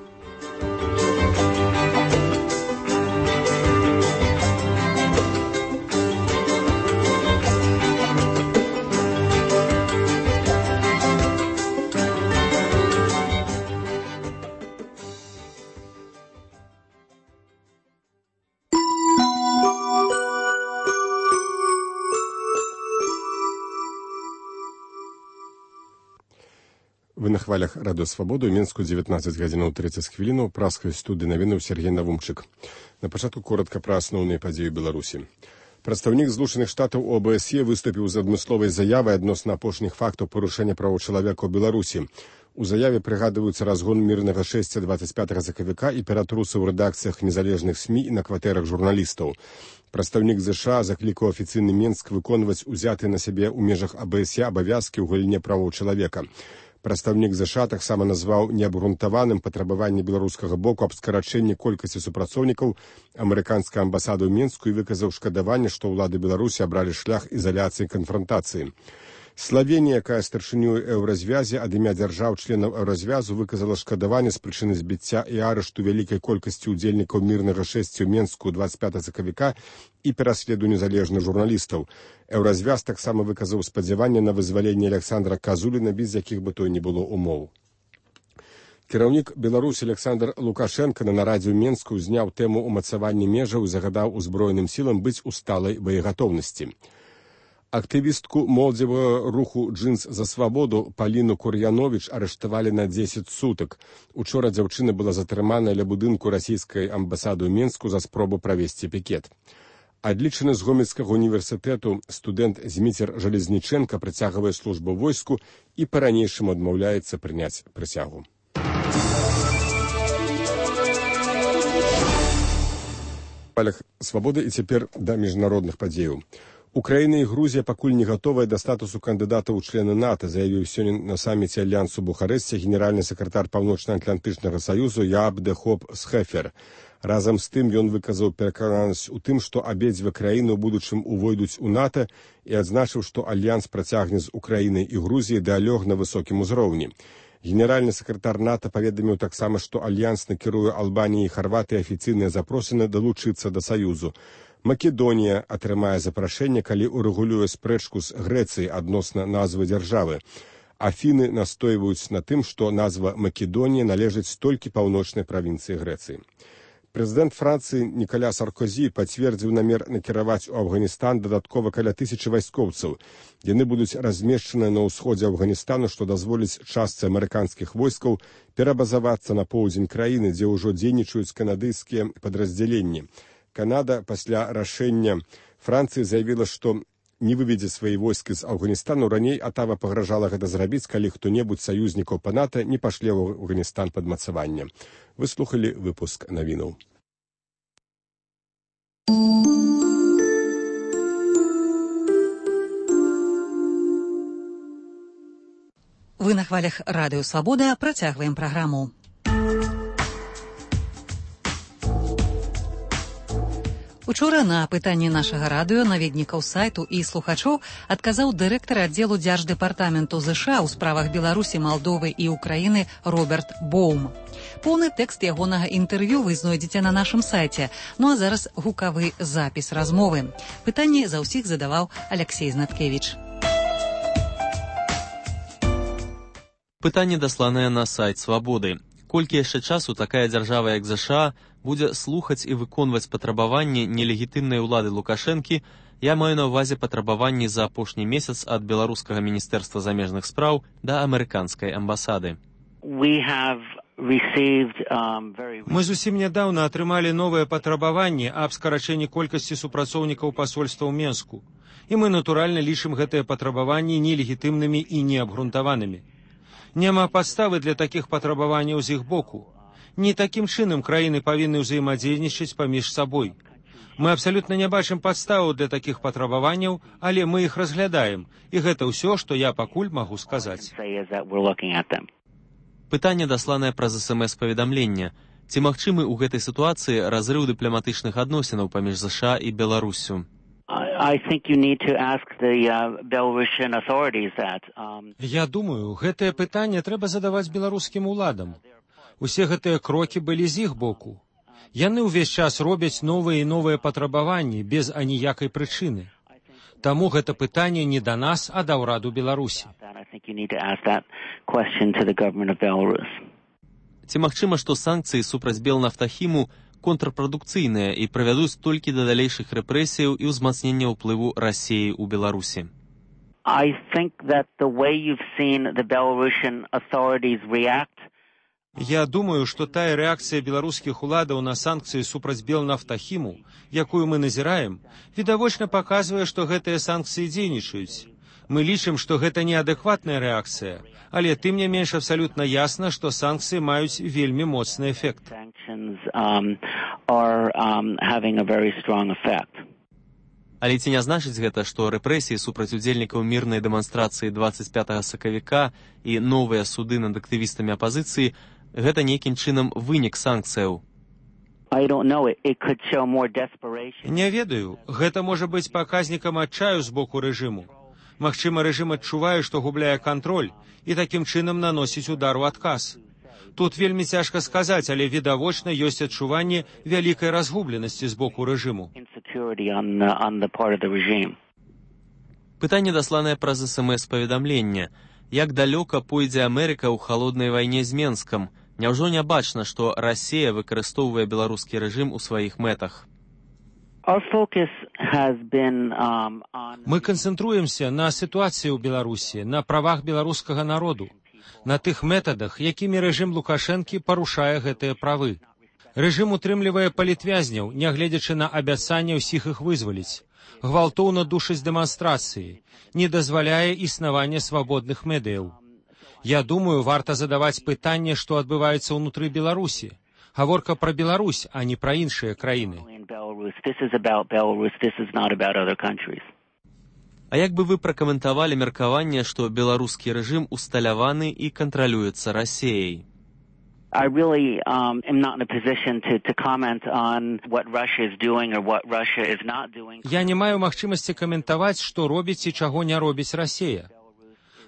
Вы на хвалях радыё Свабода ў Менску дзевятнаццаць гадзінаў трыццаць хвілінаў праскай студыі навінаў Сергей Навумчык. На пачатку коротка пра асноўныя падзеі Беларусі. Прадстаўнік Злучаных Штатаў о бэ эс е выступіў з адмысловай заявай адносна апошніх фактаў парушэння правоў чалавека ў Беларусі. У заяве прыгадваюцца разгон мірнага шэсця дваццаць пятага сакавіка і ператрусы ў рэдакцыях незалежных СМІ і на кватэрах журналістаў. Прадстаўнік ЗША заклікаў афіцыйны Менск выконваць узятыя на сябе ў межах а бэ эс е абавязкі ў галіне правоў чалавека. Прадстаўнік ЗША таксама назваў неабгрунтаваным патрабаванне беларускага боку аб скарачэнні колькасці супрацоўнікаў амерыканскай амбасады ў Менску і выказаў шкадаванне, што ўлады Беларусі абралі шлях ізаляцыі і канфрантацыі. Славенія, якая старшынёй еўразвязе ад імя дзяржаў-членаў еўразвязу выказала шкадаванне з прычыны збіцця і арышту вялікай колькасці ўдзельнікаў мірнага шэсця ў Менску дваццаць пятага сакавіка і пераследу незалежных журналістаў. Еўразвяз таксама выказаў спадзяванне на вызваленне Александра Казуліна, без якіх бы той не было умоў. Кіраўнік Беларусі Александр Лукашенко на нарадзе ў Менску зняў тэму ўмацавання межаў і загадаў узброеным сілам быць у сталай боегатоўнасці. Актывістку моладзевага руху «Джинс за свабоду» Паліну Кур'яновіч арыштавалі на дзесяць сутак. Учора дзяўчына была затрыманая ля будынку расійскай амбасады ў Менску за спробу правесці пікет. Адлічаны з Гомельскага універсітэту студэнт Зміцер Жалезніченка працягвае службу ў войску і па-ранейшаму адмаўляецца прыняць прысягу. Палях свабоды і цяпер да міжнародных падзеяў. Украіна і Грузія пакуль не гатовыя да статусу кандыдатаў у члены НАТО, заявіў сёння на саміце Альянсу Бухарэсце генеральны сакратар Паўночна-Атлантычнага саюзу Яаб де Хоп Схефер. Разам з тым ён выказаў перакананасць у тым, што абедзве краіны ў будучым увойдуць у НАТО і адзначыў, што альянс працягне з Украінай і Грузіяй дыялог на высокім узроўні. Генеральны сакратар НАТО паведаміў таксама, што альянс накіруе Албаніі і Харватыі афіцыйныя запрошаны далучыцца да саюзу. Македонія атрымае запрашэнне, калі урэгулюе спрэчку з Грэцыяй адносна назвы дзяржавы. Афіны настойваюць на тым, што назва Македонія належыць толькі паўночнай правінцыі Грэцыі. Прэзідэнт Францыі Ніколя Саркозі пацвердзіў намер накіраваць у Афганістан дадаткова каля тысячы вайскоўцаў. Яны будуць размешчаныя на ўсходзе Афганістану, што дазволіць частцы амерыканскіх войскаў перабазавацца на поўдзень краіны, дзе ўжо дзейнічаюць канадыйскія падраздзяленні. Канада пасля рашэння Францыі заявіла, што не выведзе свае войскі з Афганістану. Раней Атава пагражала гэта зрабіць, калі хто-небудзь союзнікаў па НАТО не пашле ў Афганістан пад мацаванне. Вы слухалі выпуск навінаў. Вы на хвалях радыё Свабода працягваем праграму. Учора на пытанне нашага радыё наведнікаў сайту і слухачоў адказаў дырэктар аддзелу дзярждэпартаменту ЗША ў справах Беларусі, Малдовы і Украіны Роберт Боум. Поўны тэкст ягонага інтэрв'ю вы знойдзеце на нашым сайце. Ну а зараз гукавы запіс размовы. Пытанне за ўсіх задаваў Алексей Знаткевіч. Пытанне дасланае на сайт Свабоды. Колькі яшчэ часу такая дзяржава, як ЗША, будзе слухаць і выконваць патрабаванні нелегітымнай улады Лукашэнкі, я маю на ўвазе патрабаванні за апошні месяц ад беларускага міністэрства замежных спраў да амерыканскай амбасады. Мы зусім нядаўна атрымалі новыя патрабаванні аб скарачэнні колькасці супрацоўнікаў пасольства ў Менску. І мы, натуральна, лічым гэтыя патрабаванні нелегітымнымі і неабгрунтаванымі. Няма падставы для такіх патрабаванняў з іх боку. Не такім чынам краіны павінны ўзаемадзейнічаць паміж сабой. Мы абсалютна не бачым падставаў для такіх патрабаванняў, але мы іх разглядаем, і гэта ўсё, што я пакуль магу сказаць. Пытанне дасланае праз эс эм эс-паведамлення. Ці магчымы ў гэтай сітуацыі разрыў дыпламатычных адносінаў паміж ЗША і Беларусю? I think you need to ask the uh, Belarusian authorities that. Um... Я думаю, гэтае пытанне трэба задаваць беларускім уладам. Усе гэтыя крокі былі з іх боку. Яны ўвесь час робяць новыя і новыя патрабаванні без аніякай прычыны. Таму гэта пытанне не да нас, а да ўраду Беларусі. Ці магчыма, што санкцыі супраць Белнафтахіму контрпрадукцыйныя і прывядуць толькі да далейшых рэпрэсіяў і ўзмацнення ўплыву Расіі ў Беларусі? I think that the way you've seen the Belarusian authorities react. Я думаю, што тая рэакцыя беларускіх уладаў на санкцыі супраць Белнафтахіму, якую мы назіраем, відавочна паказвае, што гэтыя санкцыі дзейнічаюць. Мы лічым, што гэта неадэкватная рэакцыя, але тым не менш абсалютна ясна, што санкцыі маюць вельмі моцны эфект. Але ці не значыць гэта, што рэпрэсіі супраць удзельнікаў мірнай дэманстрацыі дваццаць пятага сакавіка і новыя суды над актывістамі апазіцыі гэта нейкім чынам вынік санкцыяў? Не ведаю, гэта можа быць паказнікам адчаю з боку рэжыму. Магчыма, рэжым адчувае, што губляе кантроль і такім чынам наносіць удар у адказ. Тут вельмі цяжка сказаць, але відавочна ёсць адчуванне вялікай разгубленасці з боку рэжыму. Пытанне дасланае праз эс эм эс-паведамленне. Як далёка пойдзе Амерыка ў халоднай вайне з Менскам? Няўжо не бачна, што Расія выкарыстоўвае беларускі рэжым у сваіх мэтах? Мы канцэнтруемся на сітуацыі ў Беларусі, на правах беларускага народу, на тых метадах, якімі рэжым Лукашэнкі парушае гэтыя правы. Рэжым утрымлівае палітвязняў, нягледзячы на абяцанне ўсіх іх вызваліць, гвалтоўна душыць дэманстрацыі, не дазваляе існавання свабодных медыяў. Я думаю, варта задаваць пытанне, што адбываецца ўнутры Беларусі. Гаворка пра Беларусь, а не пра іншыя краіны. А як бы вы пракаментавалі меркаванне, што беларускі рэжым усталяваны і кантралюецца Расіяй? I really um, am not in a position to, to comment on what Russia is doing or what Russia is not doing. Я не маю магчымасці каментаваць, што робіць і чаго не робіць Расія.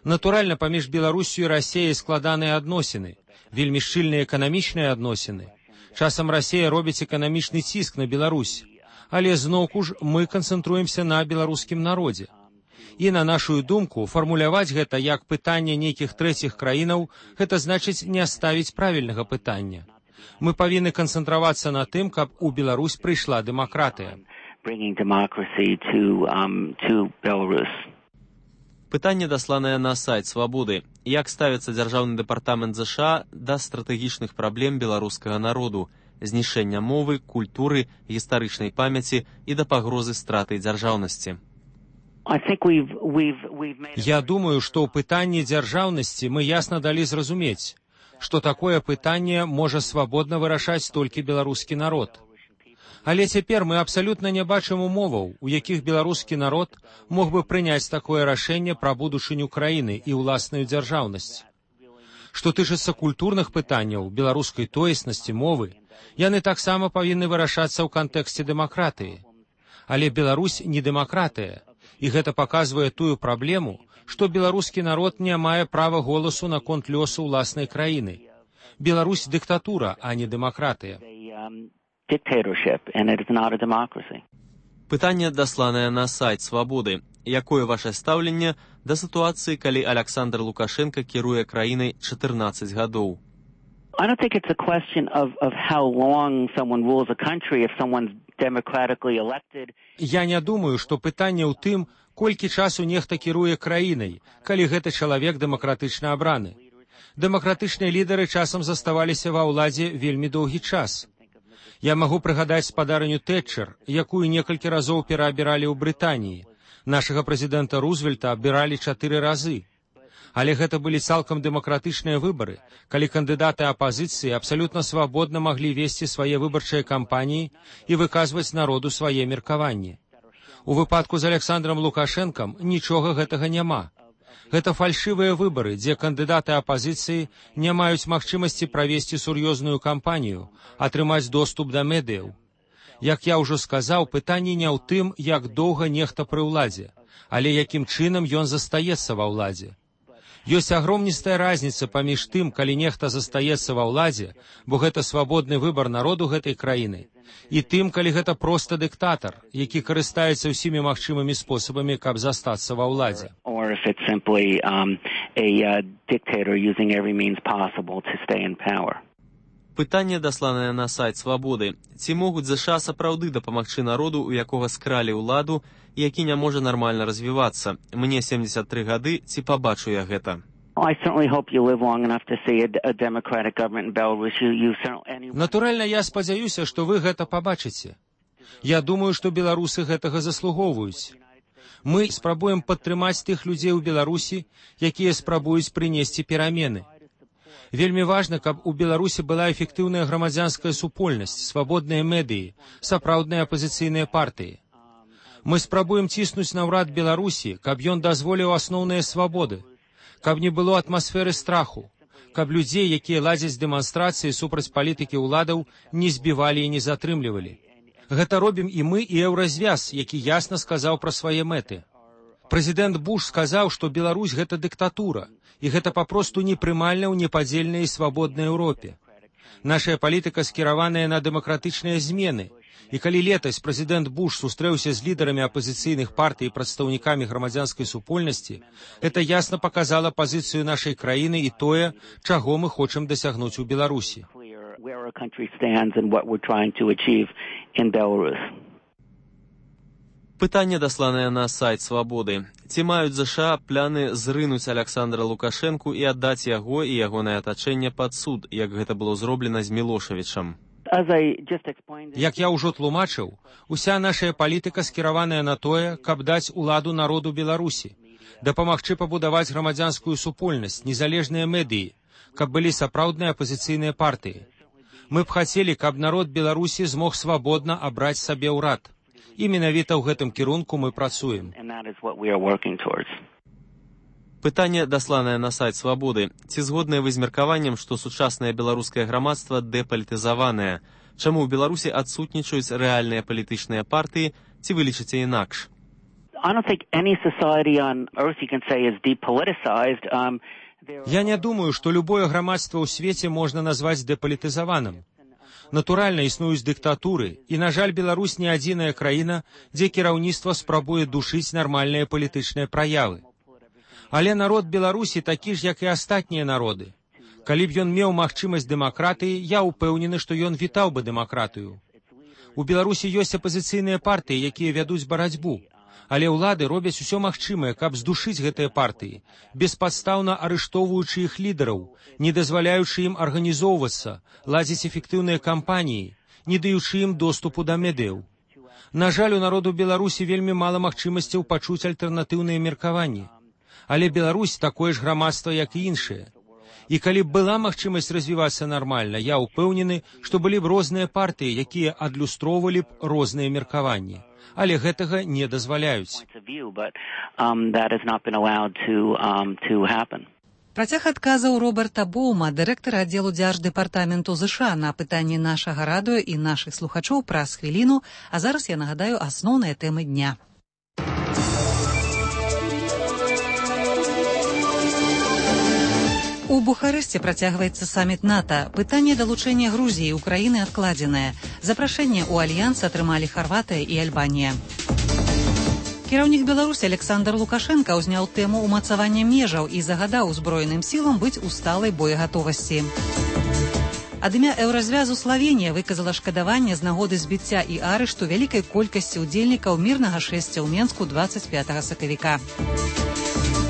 Натуральна, паміж Беларусю і Расіяй складаныя адносіны, вельмі шчыльныя эканамічныя адносіны. Часам Расія робіць эканамічны ціск на Беларусь, але зноўку ж мы канцэнтруемся на беларускім народзе. І, на нашу думку, фармуляваць гэта як пытанне нейкіх трэціх краінаў, гэта значыць не ставіць правільнага пытання. Мы павінны канцэнтравацца на тым, каб у Беларусь прыйшла дэмакратыя. Пытанне дасланае на сайт Свабоды. Як ставіцца дзяржаўны дэпартамент ЗША да стратэгічных праблем беларускага народу, знішэння мовы, культуры, гістарычнай памяці і да пагрозы страты дзяржаўнасці? Я думаю, што ў пытанні дзяржаўнасці мы ясна далі зразумець, што такое пытанне можа свабодна вырашаць толькі беларускі народ. Але цяпер мы абсалютна не бачым умоваў, у якіх беларускі народ мог бы прыняць такое рашэнне пра будучыню краіны і ўласную дзяржаўнасць. Што тычыцца культурных пытанняў, беларускай тоеснасці, мовы, яны таксама павінны вырашацца ў кантэксце дэмакратыі. Але Беларусь не дэмакратыя. І гэта паказвае тую праблему, што беларускі народ не мае права голасу наконт лёсу ўласнай краіны. Беларусь дыктатура, а не дэмакратыя. Пытанне дасланае на сайт Свабоды. Якое ваше стаўленне да сітуацыі, калі Александр Лукашенко кіруе краінай чатырнаццаць гадоў? I don't think it's a question of, of how long someone rules a country if someone's democratically elected. Я не думаю, што пытанне ў тым, колькі часу нехта кіруе краінай, калі гэты чалавек дэмакратычна абраны. Дэмакратычныя лідары часам заставаліся ва ўладзе вельмі доўгі час. Я магу прыгадаць спадарню Тэтчер, якую некалькі разоў пераабіралі ў Брытаніі. Нашага прэзідэнта Рузвельта абіралі чатыры разы. Але гэта былі цалкам дэмакратычныя выбары, калі кандыдаты апазіцыі абсалютна свабодна маглі весці свае выбарчыя кампаніі і выказваць народу свае меркаванні. У выпадку з Александром Лукашэнкам нічога гэтага няма. Гэта фальшывыя выбары, дзе кандыдаты апазіцыі не маюць магчымасці правесці сур'ёзную кампанію, атрымаць доступ да медыяў. Як я ўжо сказаў, пытанне не ў тым, як доўга нехта пры ўладзе, але якім чынам ён застаецца ва ўладзе. Ёсць агромністая разніца паміж тым, калі нехта застаецца ва ўладзе, бо гэта свабодны выбар народу гэтай краіны, і тым, калі гэта проста дыктатар, які карыстаецца ўсімі магчымымі спосабамі, каб застацца ва ўладзе. Or if it's simply um, a uh, dictator using every means possible to stay in power. Пытанне, дасланае на сайт «Свабоды». Ці могуць ЗША сапраўды дапамагчы народу, у якога скралі ўладу, і які не можа нармальна развівацца? Мне семдзесят тры гады, ці пабачу я гэта? Натуральна, я спадзяюся, што вы гэта пабачыце. Я думаю, што беларусы гэтага заслугоўваюць. Мы спрабуем падтрымаць тых людзей у Беларусі, якія спрабуюць прынесці перамены. Вельмі важна, каб у Беларусі была эфектыўная грамадзянская супольнасць, свабодныя медыі, сапраўдныя апазіцыйныя партыі. Мы спрабуем ціснуць на ўрад Беларусі, каб ён дазволіў асноўныя свабоды, каб не было атмасферы страху, каб людзей, якія ладзяць дэманстрацыі супраць палітыкі ўладаў, не збівалі і не затрымлівалі. Гэта робім і мы, і Еўразвяз, які ясна сказаў пра свае мэты. Прэзідэнт Буш сказаў, што Беларусь гэта дыктатура, і гэта папросту непрымальна ў непадзельнай і свабоднай Еўропе. Нашая палітыка скіраваная на дэмакратычныя змены, і калі летась прэзідэнт Буш сустрэўся з лідарамі апазіцыйных партый і прадстаўнікамі грамадзянскай супольнасці, гэта ясна паказала пазіцыю нашай краіны і тое, чаго мы хочам дасягнуць у Беларусі. Пытанне, дасланае на сайт «Свабоды». Ці маюць ЗША пляны зрынуць Аляксандра Лукашэнку і аддаць яго і ягонае атачэнне пад суд, як гэта было зроблена з Мілошавічам? Як я ўжо тлумачыў, уся нашая палітыка скіраваная на тое, каб даць уладу народу Беларусі, дапамагчы пабудаваць грамадзянскую супольнасць, незалежныя медыі, каб былі сапраўдныя апазіцыйныя партыі. Мы б хацелі, каб народ Беларусі змог свабодна абраць сабе ўрад. І менавіта ў гэтым кірунку мы працуем. Пытанне, дасланае на сайт «Свабоды». Ці згодныя вы з меркаваннем, што сучаснае беларускае грамадства дэпалітызаванае? Чаму ў Беларусі адсутнічаюць рэальныя палітычныя партыі, ці вы лічыце інакш? Я не думаю, што любое грамадства ў свеце можна назваць дэпалітызаваным. Натуральна, існуюць дыктатуры, і, на жаль, Беларусь не адзіная краіна, дзе кіраўніцтва спрабуе душыць нармальныя палітычныя праявы. Але народ Беларусі такі ж, як і астатнія народы. Калі б ён меў магчымасць дэмакратыі, я ўпэўнены, што ён вітаў бы дэмакратыю. У Беларусі ёсць апазіцыйныя партыі, якія вядуць барацьбу. Але ўлады робяць усё магчымае, каб здушыць гэтыя партыі, беспадстаўна арыштоўваючы іх лідараў, не дазваляючы ім арганізоўвацца, ладзіць эфектыўныя кампаніі, не даючы ім доступу да медыяў. На жаль, у народу Беларусі вельмі мала магчымасцяў пачуць альтэрнатыўныя меркаванні. Але Беларусь такое ж грамадства, як і іншыя. І калі б была магчымасць развівацца нармальна, я ўпэўнены, што былі б розныя партыі, якія адлюстроўвалі б розныя меркаванні. Але гэтага не дазваляюць. Працяг адказаў Роберта Боума, дырэктара аддзелу дзярждэпартаменту ЗША, на пытанні нашага радыё і нашых слухачоў праз хвіліну, а зараз я нагадаю асноўныя тэмы дня. У Бухарэсце працягваецца саміт НАТО. Пытанне далучэння Грузіі і Украіны адкладзенае. Запрашэнне ў альянс атрымалі Харватыя і Альбанія. Кіраўнік Беларусі Александр Лукашенка ўзняў тэму ўмацавання межаў і загадаў узброеным сілам быць у сталай боегатовасці. Ад імя Еўразвязу Славенія выказала шкадаванне з нагоды збіцця і арышту вялікай колькасці ўдзельнікаў мірнага шэсця ў Менску дваццаць пятага сакавіка.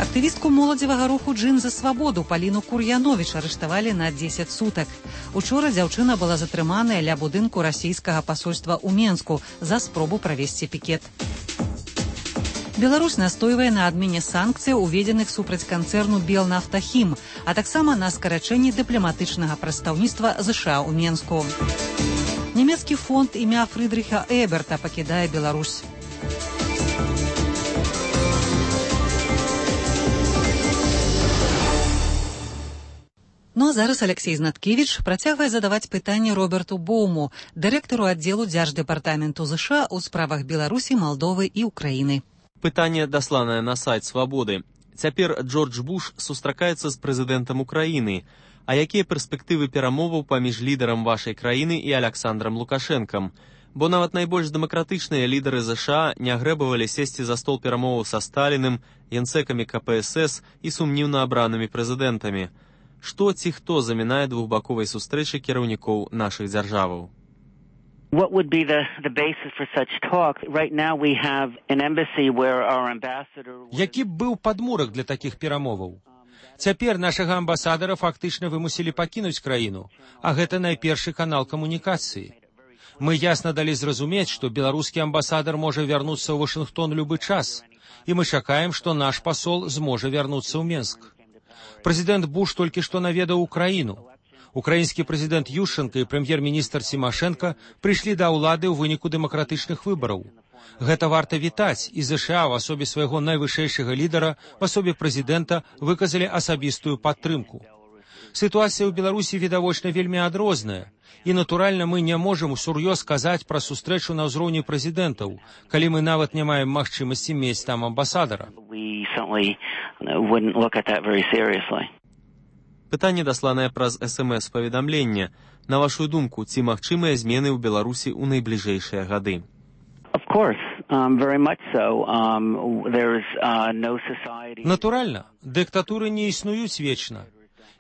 Актывістку моладзевага руху «Джин за свабоду» Паліну Кур'яновіч арыштавалі на дзесяць сутак. Учора дзяўчына была затрыманая ля будынку расійскага пасольства ў Менску за спробу правесці пікет. Беларусь настойвае на адмене санкцый, уведзеных супраць канцэрну «Белнафтахім», а таксама на скарачэнні дыпламатычнага прадстаўніцтва ЗША ў Менску. Нямецкі фонд імя Фрыдрыха Эберта пакідае Беларусь. Ну а зараз Алексей Знаткевич працягвае задаваць пытанні Роберту Боуму, дырэктару аддзелу Дзярждэпартаменту ЗША ў справах Беларусі, Малдовы і Украіны. Пытанне дасланае на сайт «Свабоды». Цяпер Джордж Буш сустракаецца з прэзідэнтам Украіны. А якія перспектывы перамоваў паміж лідарам вашай краіны і Аляксандрам Лукашэнкам? Бо нават найбольш дэмакратычныя лідары ЗША не грэбавалі сесці за стол перамоваў са Сталіным, генсекамі ка пэ эс эс і сумнівна абранымі прэзідэнтамі. Што ці хто замінае двухбаковай сустрэчы кіраўнікоў нашых дзяржаваў? What would be the, the basis for such talk? Right now we have an embassy where our ambassador... Які б быў падмурак для такіх перамоваў? Цяпер нашага амбасадара фактычна вымусілі пакінуць краіну, а гэта найпершы канал камунікацыі. Мы ясна далі зразумець, што беларускі амбасадар можа вярнуцца ў Вашынгтон любы час, і мы чакаем, што наш пасол зможа вярнуцца ў Менск. Прэзідэнт Буш толькі што наведаў Украіну. Украінскі прэзідэнт Ющенка і прэм'ер-міністр Сімашэнка прыйшлі да ўлады ў выніку дэмакратычных выбараў. Гэта варта вітаць, і ЗША ў асобе свайго найвышэйшага лідара, в асобе прэзідэнта, выказалі асабістую падтрымку. Сітуацыя ў Беларусі відавочна вельмі адрозная, і, натуральна, мы не можам усур'ёз казаць пра сустрэчу на ўзроўні прэзідэнтаў, калі мы нават не маем магчымасці мець там амбасадара. Пытанне дасланае праз эс эм эс-паведамленне. На вашу думку, ці магчымыя змены ў Беларусі ў найбліжэйшыя гады? Of course, um, very much so. Um, there's uh, no society... Натуральна, дыктатуры не існуюць вечна.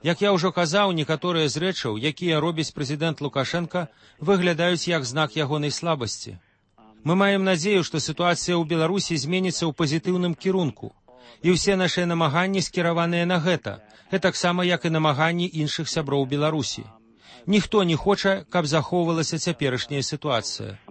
Як я ўжо казаў, некаторыя з рэчаў, якія робіць прэзідэнт Лукашенка, выглядаюць як знак ягонай слабасці. Мы маем надзею, што сітуацыя ў Беларусі зменіцца ў пазітыўным кірунку. І ўсе нашыя намаганні скіраваныя на гэта, гэтаксама як і намаганні іншых сяброў Беларусі. Ніхто не хоча, каб захоўвалася цяперашняя сітуацыя.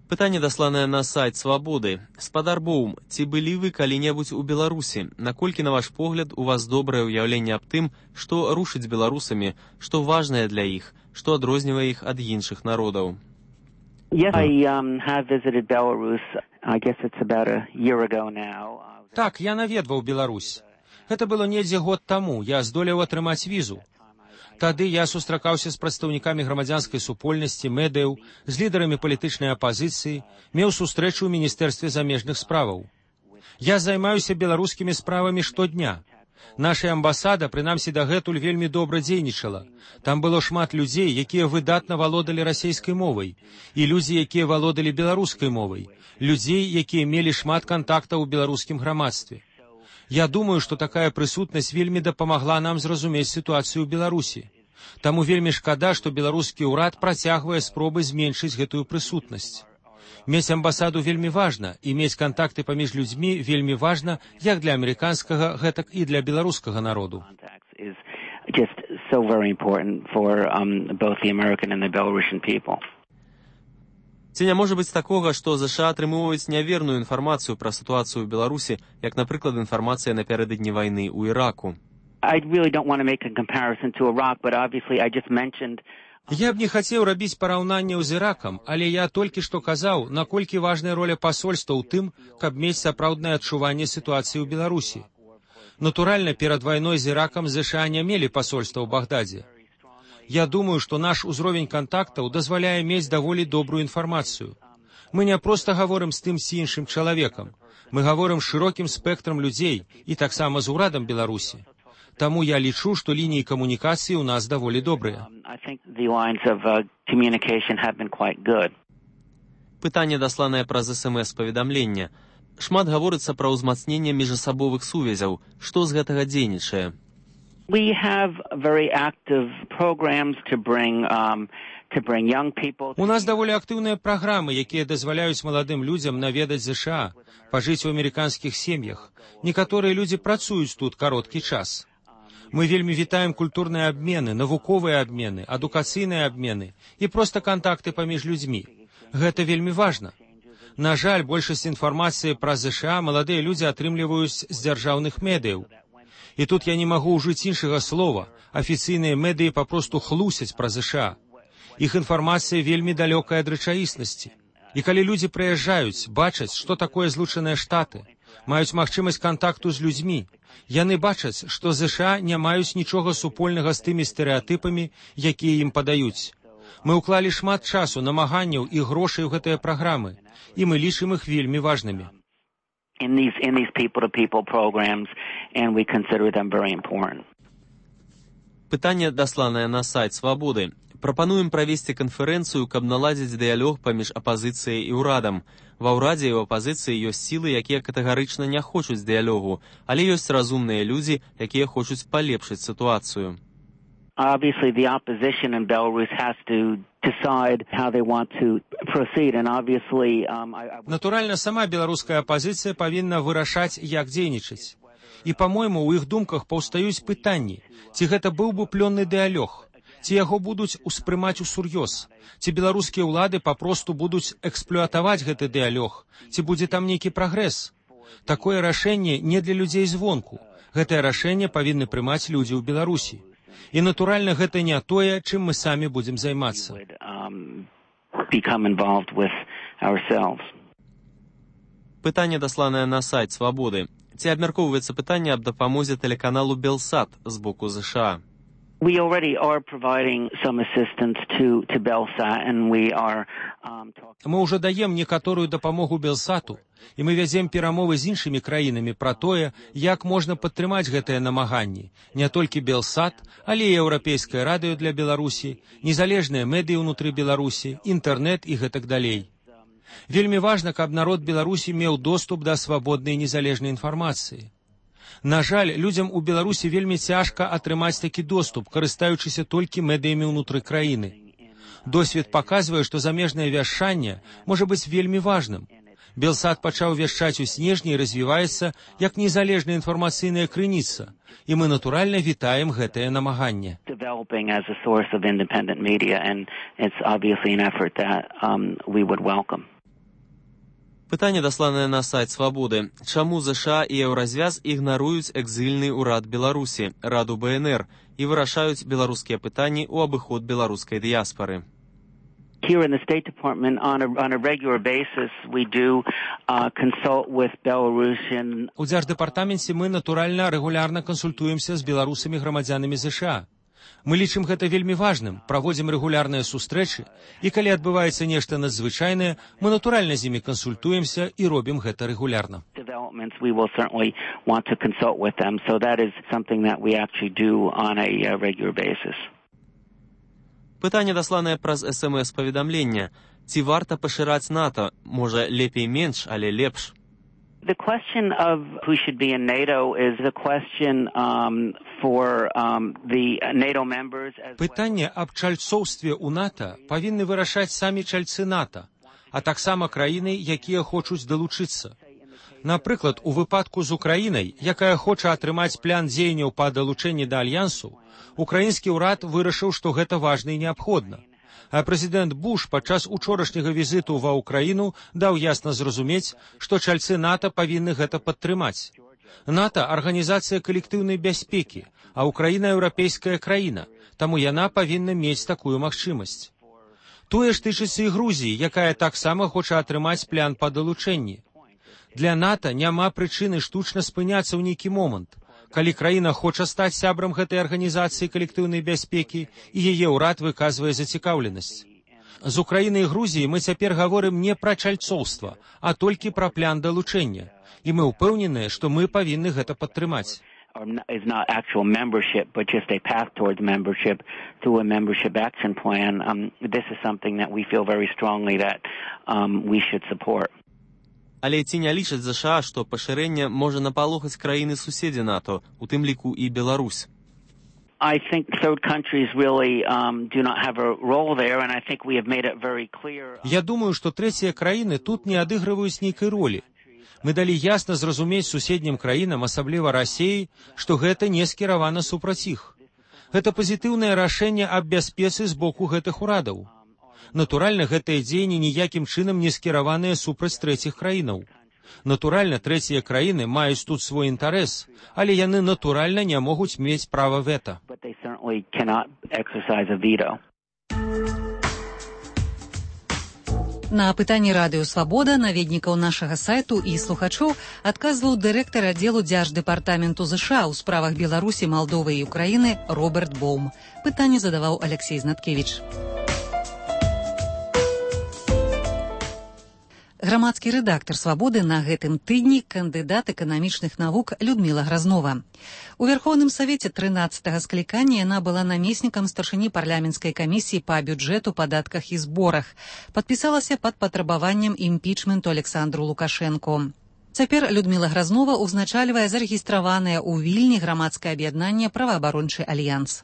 Пытанне дасланае на сайт «Свабоды». Спадар Боум, ці былі вы калі-небудзь у Беларусі? Наколькі, на ваш погляд, у вас добрае ўяўленне аб тым, што рушыць беларусамі, што важнае для іх, што адрознівае іх ад іншых народаў? Yes, I um, have visited Belarus. I guess it's about a year ago now. Так, я наведваў Беларусь. Гэта было недзе год таму. Я здолеў атрымаць візу. Тады я сустракаўся з прадстаўнікамі грамадзянскай супольнасці, медыяў, з лідарамі палітычнай апазіцыі, меў сустрэчу ў Міністэрстве замежных справаў. Я займаюся беларускімі справамі штодня. Наша амбасада, прынамсі дагэтуль, вельмі добра дзейнічала. Там было шмат людзей, якія выдатна валодалі расейскай мовай, і людзі, якія валодалі беларускай мовай, людзей, якія мелі шмат кантактаў у беларускім грамадстве. Я думаю, што такая прысутнасць вельмі дапамагла нам зразумець сітуацыю ў Беларусі. Таму вельмі шкада, што беларускі ўрад працягвае спробы зменшыць гэтую прысутнасць. Мець амбасаду вельмі важна, і мець кантакты паміж людзьмі вельмі важна як для амерыканскага, гэтак і для беларускага народу. Ці не можа быць такога, што ЗША атрымоўваюць няверную інфармацыю пра сітуацыю ў Беларусі, як, напрыклад, інфармацыя напярэдадні вайны ў Іраку? I really don't want to make a comparison to Iraq, but obviously I just mentioned... Я б не хацеў рабіць параўнанняў з Іракам, але я толькі што казаў, наколькі важная роля пасольства ў тым, каб мець сапраўднае адчуванне сітуацыі ў Беларусі. Натуральна, перад вайной з Іракам ЗША не мелі пасольства ў Багдадзе. Я думаю, што наш узровень кантактаў дазваляе мець даволі добрую інфармацыю. Мы не проста гаворым з тым ці іншым чалавекам. Мы гаворым з шырокім спектрам людзей і таксама з урадам Беларусі. Таму я лічу, што лініі камунікацыі ў нас даволі добрыя. Пытанне дасланае праз эс эм эс-паведамленне. Шмат гаворыцца пра ўзмацненне міжасабовых сувязяў. Што з гэтага дзейнічае? We have very active programs to bring um, to bring young people. У нас даволі актыўныя праграмы, якія дазваляюць маладым людзям наведаць ЗША, пажыць у амерыканскіх сем'ях. Некаторыя людзі працуюць тут кароткі час. Мы вельмі вітаем культурныя абмены, навуковыя абмены, адукацыйныя абмены і проста кантакты паміж людзьмі. Гэта вельмі важна. На жаль, большасць інфармацыі пра ЗША маладыя людзі атрымліваюць з дзяржаўных медыяў. І тут я не магу ўжыць іншага слова. Афіцыйныя медыі папросту хлусяць пра ЗША. Іх інфармацыя вельмі далёкая ад рэчаіснасці. І калі людзі прыязджаюць, бачаць, што такое Злучаныя Штаты, маюць магчымасць кантакту з людзьмі. Яны бачаць, што ЗША не маюць нічога супольнага з тымі стэрэатыпамі, якія ім падаюць. Мы ўклалі шмат часу, намаганняў і грошай у гэтыя праграмы, і мы лічым іх вельмі важнымі. In these, in these people-to-people programs, and we consider them very important. Пытанне, дасланае на сайт «Свабоды». Прапануем правесці канферэнцыю, каб наладзіць дыялог паміж апазіцыяй і ўрадам. Ва ўрадзе і ў апазіцыі ёсць сілы, якія катэгарычна не хочуць дыялогу, але ёсць разумныя людзі, якія хочуць палепшыць сітуацыю. Obviously, the opposition in Belarus has to decide how they want to proceed, and obviously, um, I, I... Натуральна, сама беларуская апазіцыя павінна вырашаць, як дзейнічаць. І, па-мойму, у іх думках паўстаюць пытанні, ці гэта быў бы плённы дыялог, ці яго будуць успрымаць усур'ёз, ці беларускія ўлады папросту будуць эксплуатаваць гэты дыялог, ці будзе там нейкі прагрэс. Такое рашэнне не для людзей звонку. Гэтае рашэнне павінны прымаць людзі ў Беларусі. І, натуральна, гэта не тое, чым мы самі будзем займацца. Пытанне, дасланае на сайт «Свабоды». Ці абмяркоўваецца пытанне аб дапамозе тэлеканалу «Белсат» з боку ЗША? We already are providing some assistance to, to Belsat, and we are um, talking... Мы ўжо даем некаторую дапамогу Белсату, і мы вядзем перамовы з іншымі краінамі пра тое, як можна падтрымаць гэтыя намаганні. Не толькі Белсат, але і Еўрапейскае радыё для Беларусі, незалежныя медыі ўнутры Беларусі, інтэрнэт і гэтак далей. Вельмі важна, каб народ Беларусі меў доступ да свабоднай незалежнай інфармацыі. На жаль, людзям у Беларусі вельмі цяжка атрымаць такі доступ, карыстаючыся толькі медыямі ўнутры краіны. Досвед паказвае, што замежнае вяшчанне можа быць вельмі важным. Белсат пачаў вяшчаць у снежні і развіваецца як незалежная інфармацыйная крыніца, і мы натуральна вітаем гэтае намаганне. Пытанне, дасланае на сайт «Свабоды». Чаму ЗША і Еўразвяз ігнаруюць экзільны ўрад Беларусі, Раду БНР, і вырашаюць беларускія пытанні ў абыход беларускай дыяспары? Here in the State Department, on a, on a regular basis, we do uh, consult with Belarusian... У Дзярждэпартаменце мы, натуральна, рэгулярна кансультуемся з беларусамі грамадзянамі ЗША. Мы лічым гэта вельмі важным, праводзім рэгулярныя сустрэчы, і калі адбываецца нешта надзвычайнае, мы натуральна з імі кансультуемся і робім гэта рэгулярна. We will certainly want to consult with them, so that is something that we actually do on a uh, regular basis. Пытанне, дасланае праз эс эм эс-паведамлення. Ці варта пашыраць НАТО? Можа, лепей менш, але лепш? The question of who should be in NATO is the question um, for um, the NATO members. Пытанне аб чальцоўстве ў НАТО павінны вырашаць самі чальцы НАТО, а таксама краіны, якія хочуць далучыцца. Напрыклад, у выпадку з Украінай, якая хоча атрымаць план дзеянняў па далучэнні да альянсу, украінскі ўрад вырашыў, што гэта важна і неабходна. А прэзідэнт Буш падчас учорашняга візіту ва ўкраіну даў ясна зразумець, што чальцы НАТО павінны гэта падтрымаць. НАТО – арганізацыя калектыўнай бяспекі, а Украіна – еўрапейская краіна, таму яна павінна мець такую магчымасць. Тое ж тычыцца і Грузіі, якая таксама хоча атрымаць план па далучэнні. Для НАТО няма прычыны штучна спыняцца ў нейкі момант. Калі краіна хоча стаць сябрам гэтай арганізацыі калектыўнай бяспекі, і яе ўрад выказвае зацікаўленасць. З Украінай і Грузіяй мы цяпер гаворым не пра чальцоўства, а толькі пра план далучэння. І мы ўпэўненыя, што мы павінны гэта падтрымаць. Is not actual membership, but just a path towards membership through a membership action plan. Um, this is something that we feel very strongly that um, we should support. Але ці не лічаць ЗША, што пашырэнне можа напалохаць краіны-суседзі НАТО, у тым ліку і Беларусь? I think third countries really um, do not have a role there, and I think we have made it very clear. Я думаю, што трэція краіны тут не адыгрываюць нейкай ролі. Мы далі ясна зразумець суседнім краінам, асабліва Расіі, што гэта не скіравана супраць іх. Гэта пазітыўнае рашэнне аб бяспецы з боку гэтых урадаў. Натуральна, гэтыя дзеянні ніякім чынам не скіраваныя супраць трэціх краінаў. Натуральна, трэція краіны маюць тут свой інтарэс, але яны натуральна не могуць мець права вета. На пытанні радыё «Свабода» наведнікаў нашага сайту і слухачоў адказваў дырэктар аддзелу дзярждэпартаменту ЗША ў справах Беларусі, Малдовы і Украіны Роберт Боум. Пытанне задаваў Алексей Знаткевіч. Грамадскі рэдактар «Свабоды» на гэтым тыдні кандыдат эканамічных навук Людміла Гразнова. У Верховным Савеце трынаццатага склікання яна была намеснікам старшыні парламенцкай камісіі па бюджэту, падатках і зборах. Падпісалася пад патрабаваннем імпічменту Александру Лукашэнку. Цяпер Людміла Гразнова ўзначальвае зарэгістраванае ў Вільні грамадскае аб'яднанне «Праваабарончы альянс».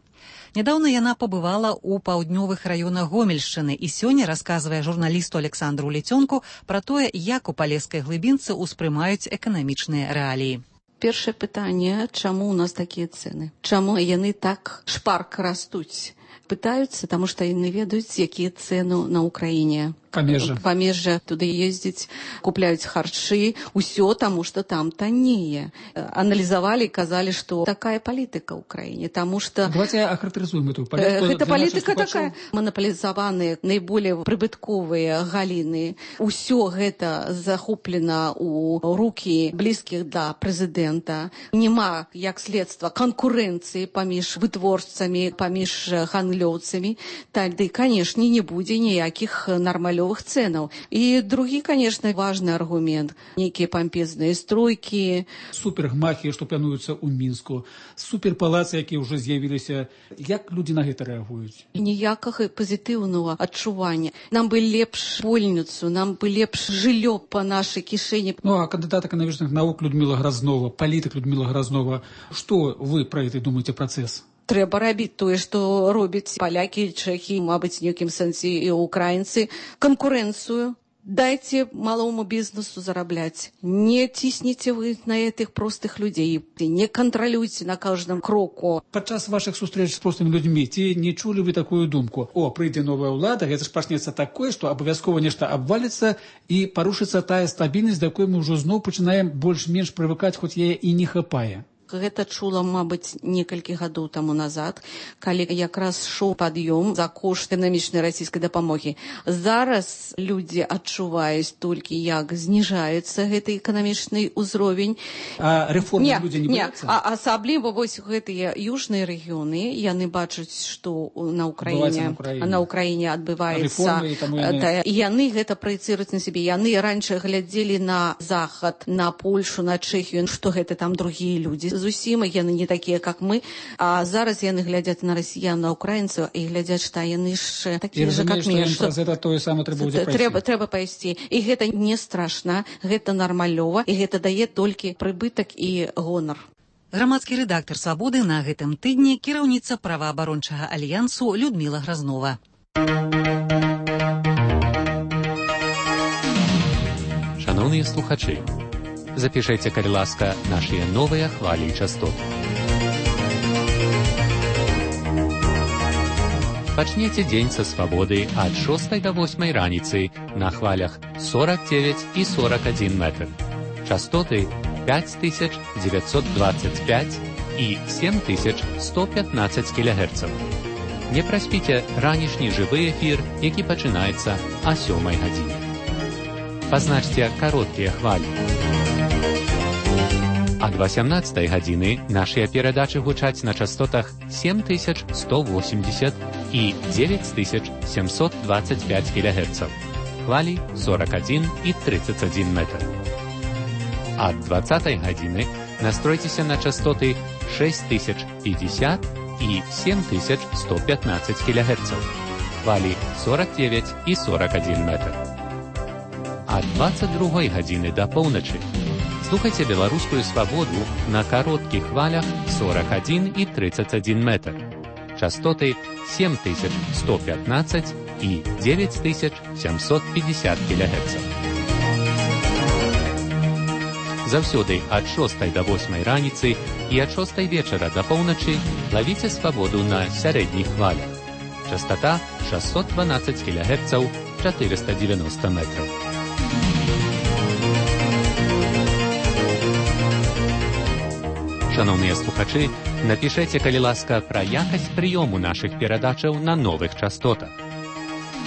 Нядаўна яна пабывала ў паўднёвых раёнах Гомельшчыны і сёння расказвае журналісту Александру Лецёнку пра тое, як у палескай глыбінцы ўспрымаюць эканамічныя рэаліі. Першае пытанне, чаму ў нас такія цэны? Чаму яны так шпарка растуць? Пытаюцца, таму што яны ведаюць, якія цэны на ўкраіне. Памежжа. Памежжа, туды ездзяць, купляюць харчы, усё таму, што там таннее. Аналізавалі і казалі, што такая палітыка ў краіне, таму што... Давайте ахарактарызуем эту палітыку. Гэта палітыка такая. Манаполізаваныя наиболее прыбытковыя галіны. Усё гэта захоплена ў рукі блізкіх да прэзідэнта. Нема, як следства, канкурэнцыі паміж вытворцамі, паміж гандлёўцамі. Тады, канешне, не будзе ніякіх нармалёвых ценаў. І другі, конечно, важны аргумент. Нейкія пампезныя стройкі. Супергмахі, што плануюцца ў Мінску. Суперпалацы, якія ўжо з'явіліся. Як людзі на гэта рэагуюць? Ніякага пазітыўнага адчування. Нам бы лепш больніцу, нам бы лепш жыллё па нашай кішэні. Ну, а кандыдат эканамічных навук Людміла Гразнова, палітык Людміла Гразнова, што вы пра гэта думаеце працэс? Трэба рабіць тое, што робяць палякі, чэхі, мабыць, в нейкім сэнсе і украінцы. Канкурэнцыю. Дайце малому бізнесу зарабляць. Не цісніце вы на гэтых простых людзей. Не кантралюйце на кожным кроку. Падчас вашых сустрэч з простымі людзьмі ці не чулі вы такую думку? О, прыйдзе новая ўлада, гэта ж пачнецца такое, што абавязкова нешта абваліцца і парушыцца тая стабільнасць, да якой мы ўжо зноў пачынаем больш-менш прывыкаць, хоць яе і не хапае. Гэта чула, мабыць, некалькі гадоў таму назад, калі якраз шоў пад'ём за кошт эканамічнай расійскай дапамогі. Зараз людзі адчуваюць толькі, як зніжаецца гэты эканамічны ўзровень. А рэформы людзі не бояцца? А асабліва вось гэтыя южныя рэгіёны, яны бачаць, што на ўкраіне, на ўкраіне адбываецца. Яны... яны гэта праецыруюць на сябе. Яны раньше глядзелі на захад, на Польшу, на Чэхію, што гэта там другія людзі. Зусім яны не такія, як мы, а зараз яны глядзяць на расіян, на украінцаў і глядзяць, што яны ж такія ж, як мы. Што гэта тое самае трэба будзе пайсці. Трэба, трэба пайсці. І гэта не страшна, гэта нармалёва, і гэта дае толькі прыбытак і гонар. Грамадскі рэдактар «Свабоды» на гэтым тыдні кіраўніца праваабарончага альянсу Людміла Гразнова. Шановныя слухачы, запішайце, калі ласка, нашыя новыя хвалі і частоты. Пачніце дзень са свабоды ад шостай да восьмай раніцы на хвалях сорок девять і сорок один метр. Частоты пять тысяч девятьсот двадцать пять і семь тысяч сто пятнадцать кілогерцаў. Не праспіце ранішні жывы эфір, які пачынаецца а сёмай гадзіне. Пазначце кароткія хвалі. Ад восемнадцатай гадзіны нашыя перадачы гучаць на частотах семь тысяч сто восемьдесят і девять тысяч семьсот двадцать пять кілогерцаў. Хвалі сорок один і тридцать один метр. Ад двадцатай гадзіны настройцеся на частоты шесть тысяч пятьдесят і семь тысяч сто пятнадцать кілогерцаў. Хвалі сорок девять і сорок один метр. Ад двадцать другой гадзіны да поўначы слухайце беларускую свабоду на кароткіх хвалях сорок один і тридцать один метр. Частоты семь тысяч сто пятнадцать і девять тысяч семьсот пятьдесят кілогерцаў. Заўсёды ад шостай да восьмай раніцы і ад шостай вечара да поўначы лавіце свабоду на сярэдніх хвалях. Частота шестьсот двенадцать кілогерцаў, четыреста девяносто метров. Шановныя слухачы, напішайце, калі ласка, пра якасць прыёму нашых перадачаў на новых частотах.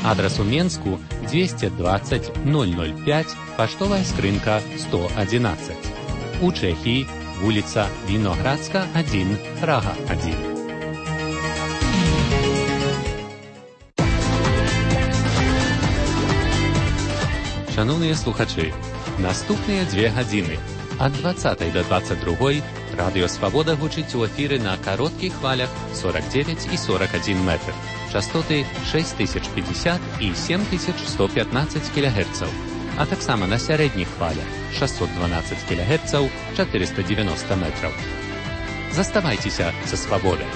Адрес у Менску двести двадцать ноль ноль пять, паштовая скрынка сто одиннадцать. У Чехии улица Виноградска, один, Прага, один. Шановні слухачі, наступні дві години від двадцятої до двадцять другої Радіо Свобода гучить у ефірі на коротких хвалях сорок дев'ять і сорок один метр, частоти шість тисяч п'ятдесят і сім тисяч сто п'ятнадцять кілогерців, а так само на середніх хвалях шістсот дванадцять кілогерців, чотириста дев'яносто метрів. Заставайтеся со Свободой.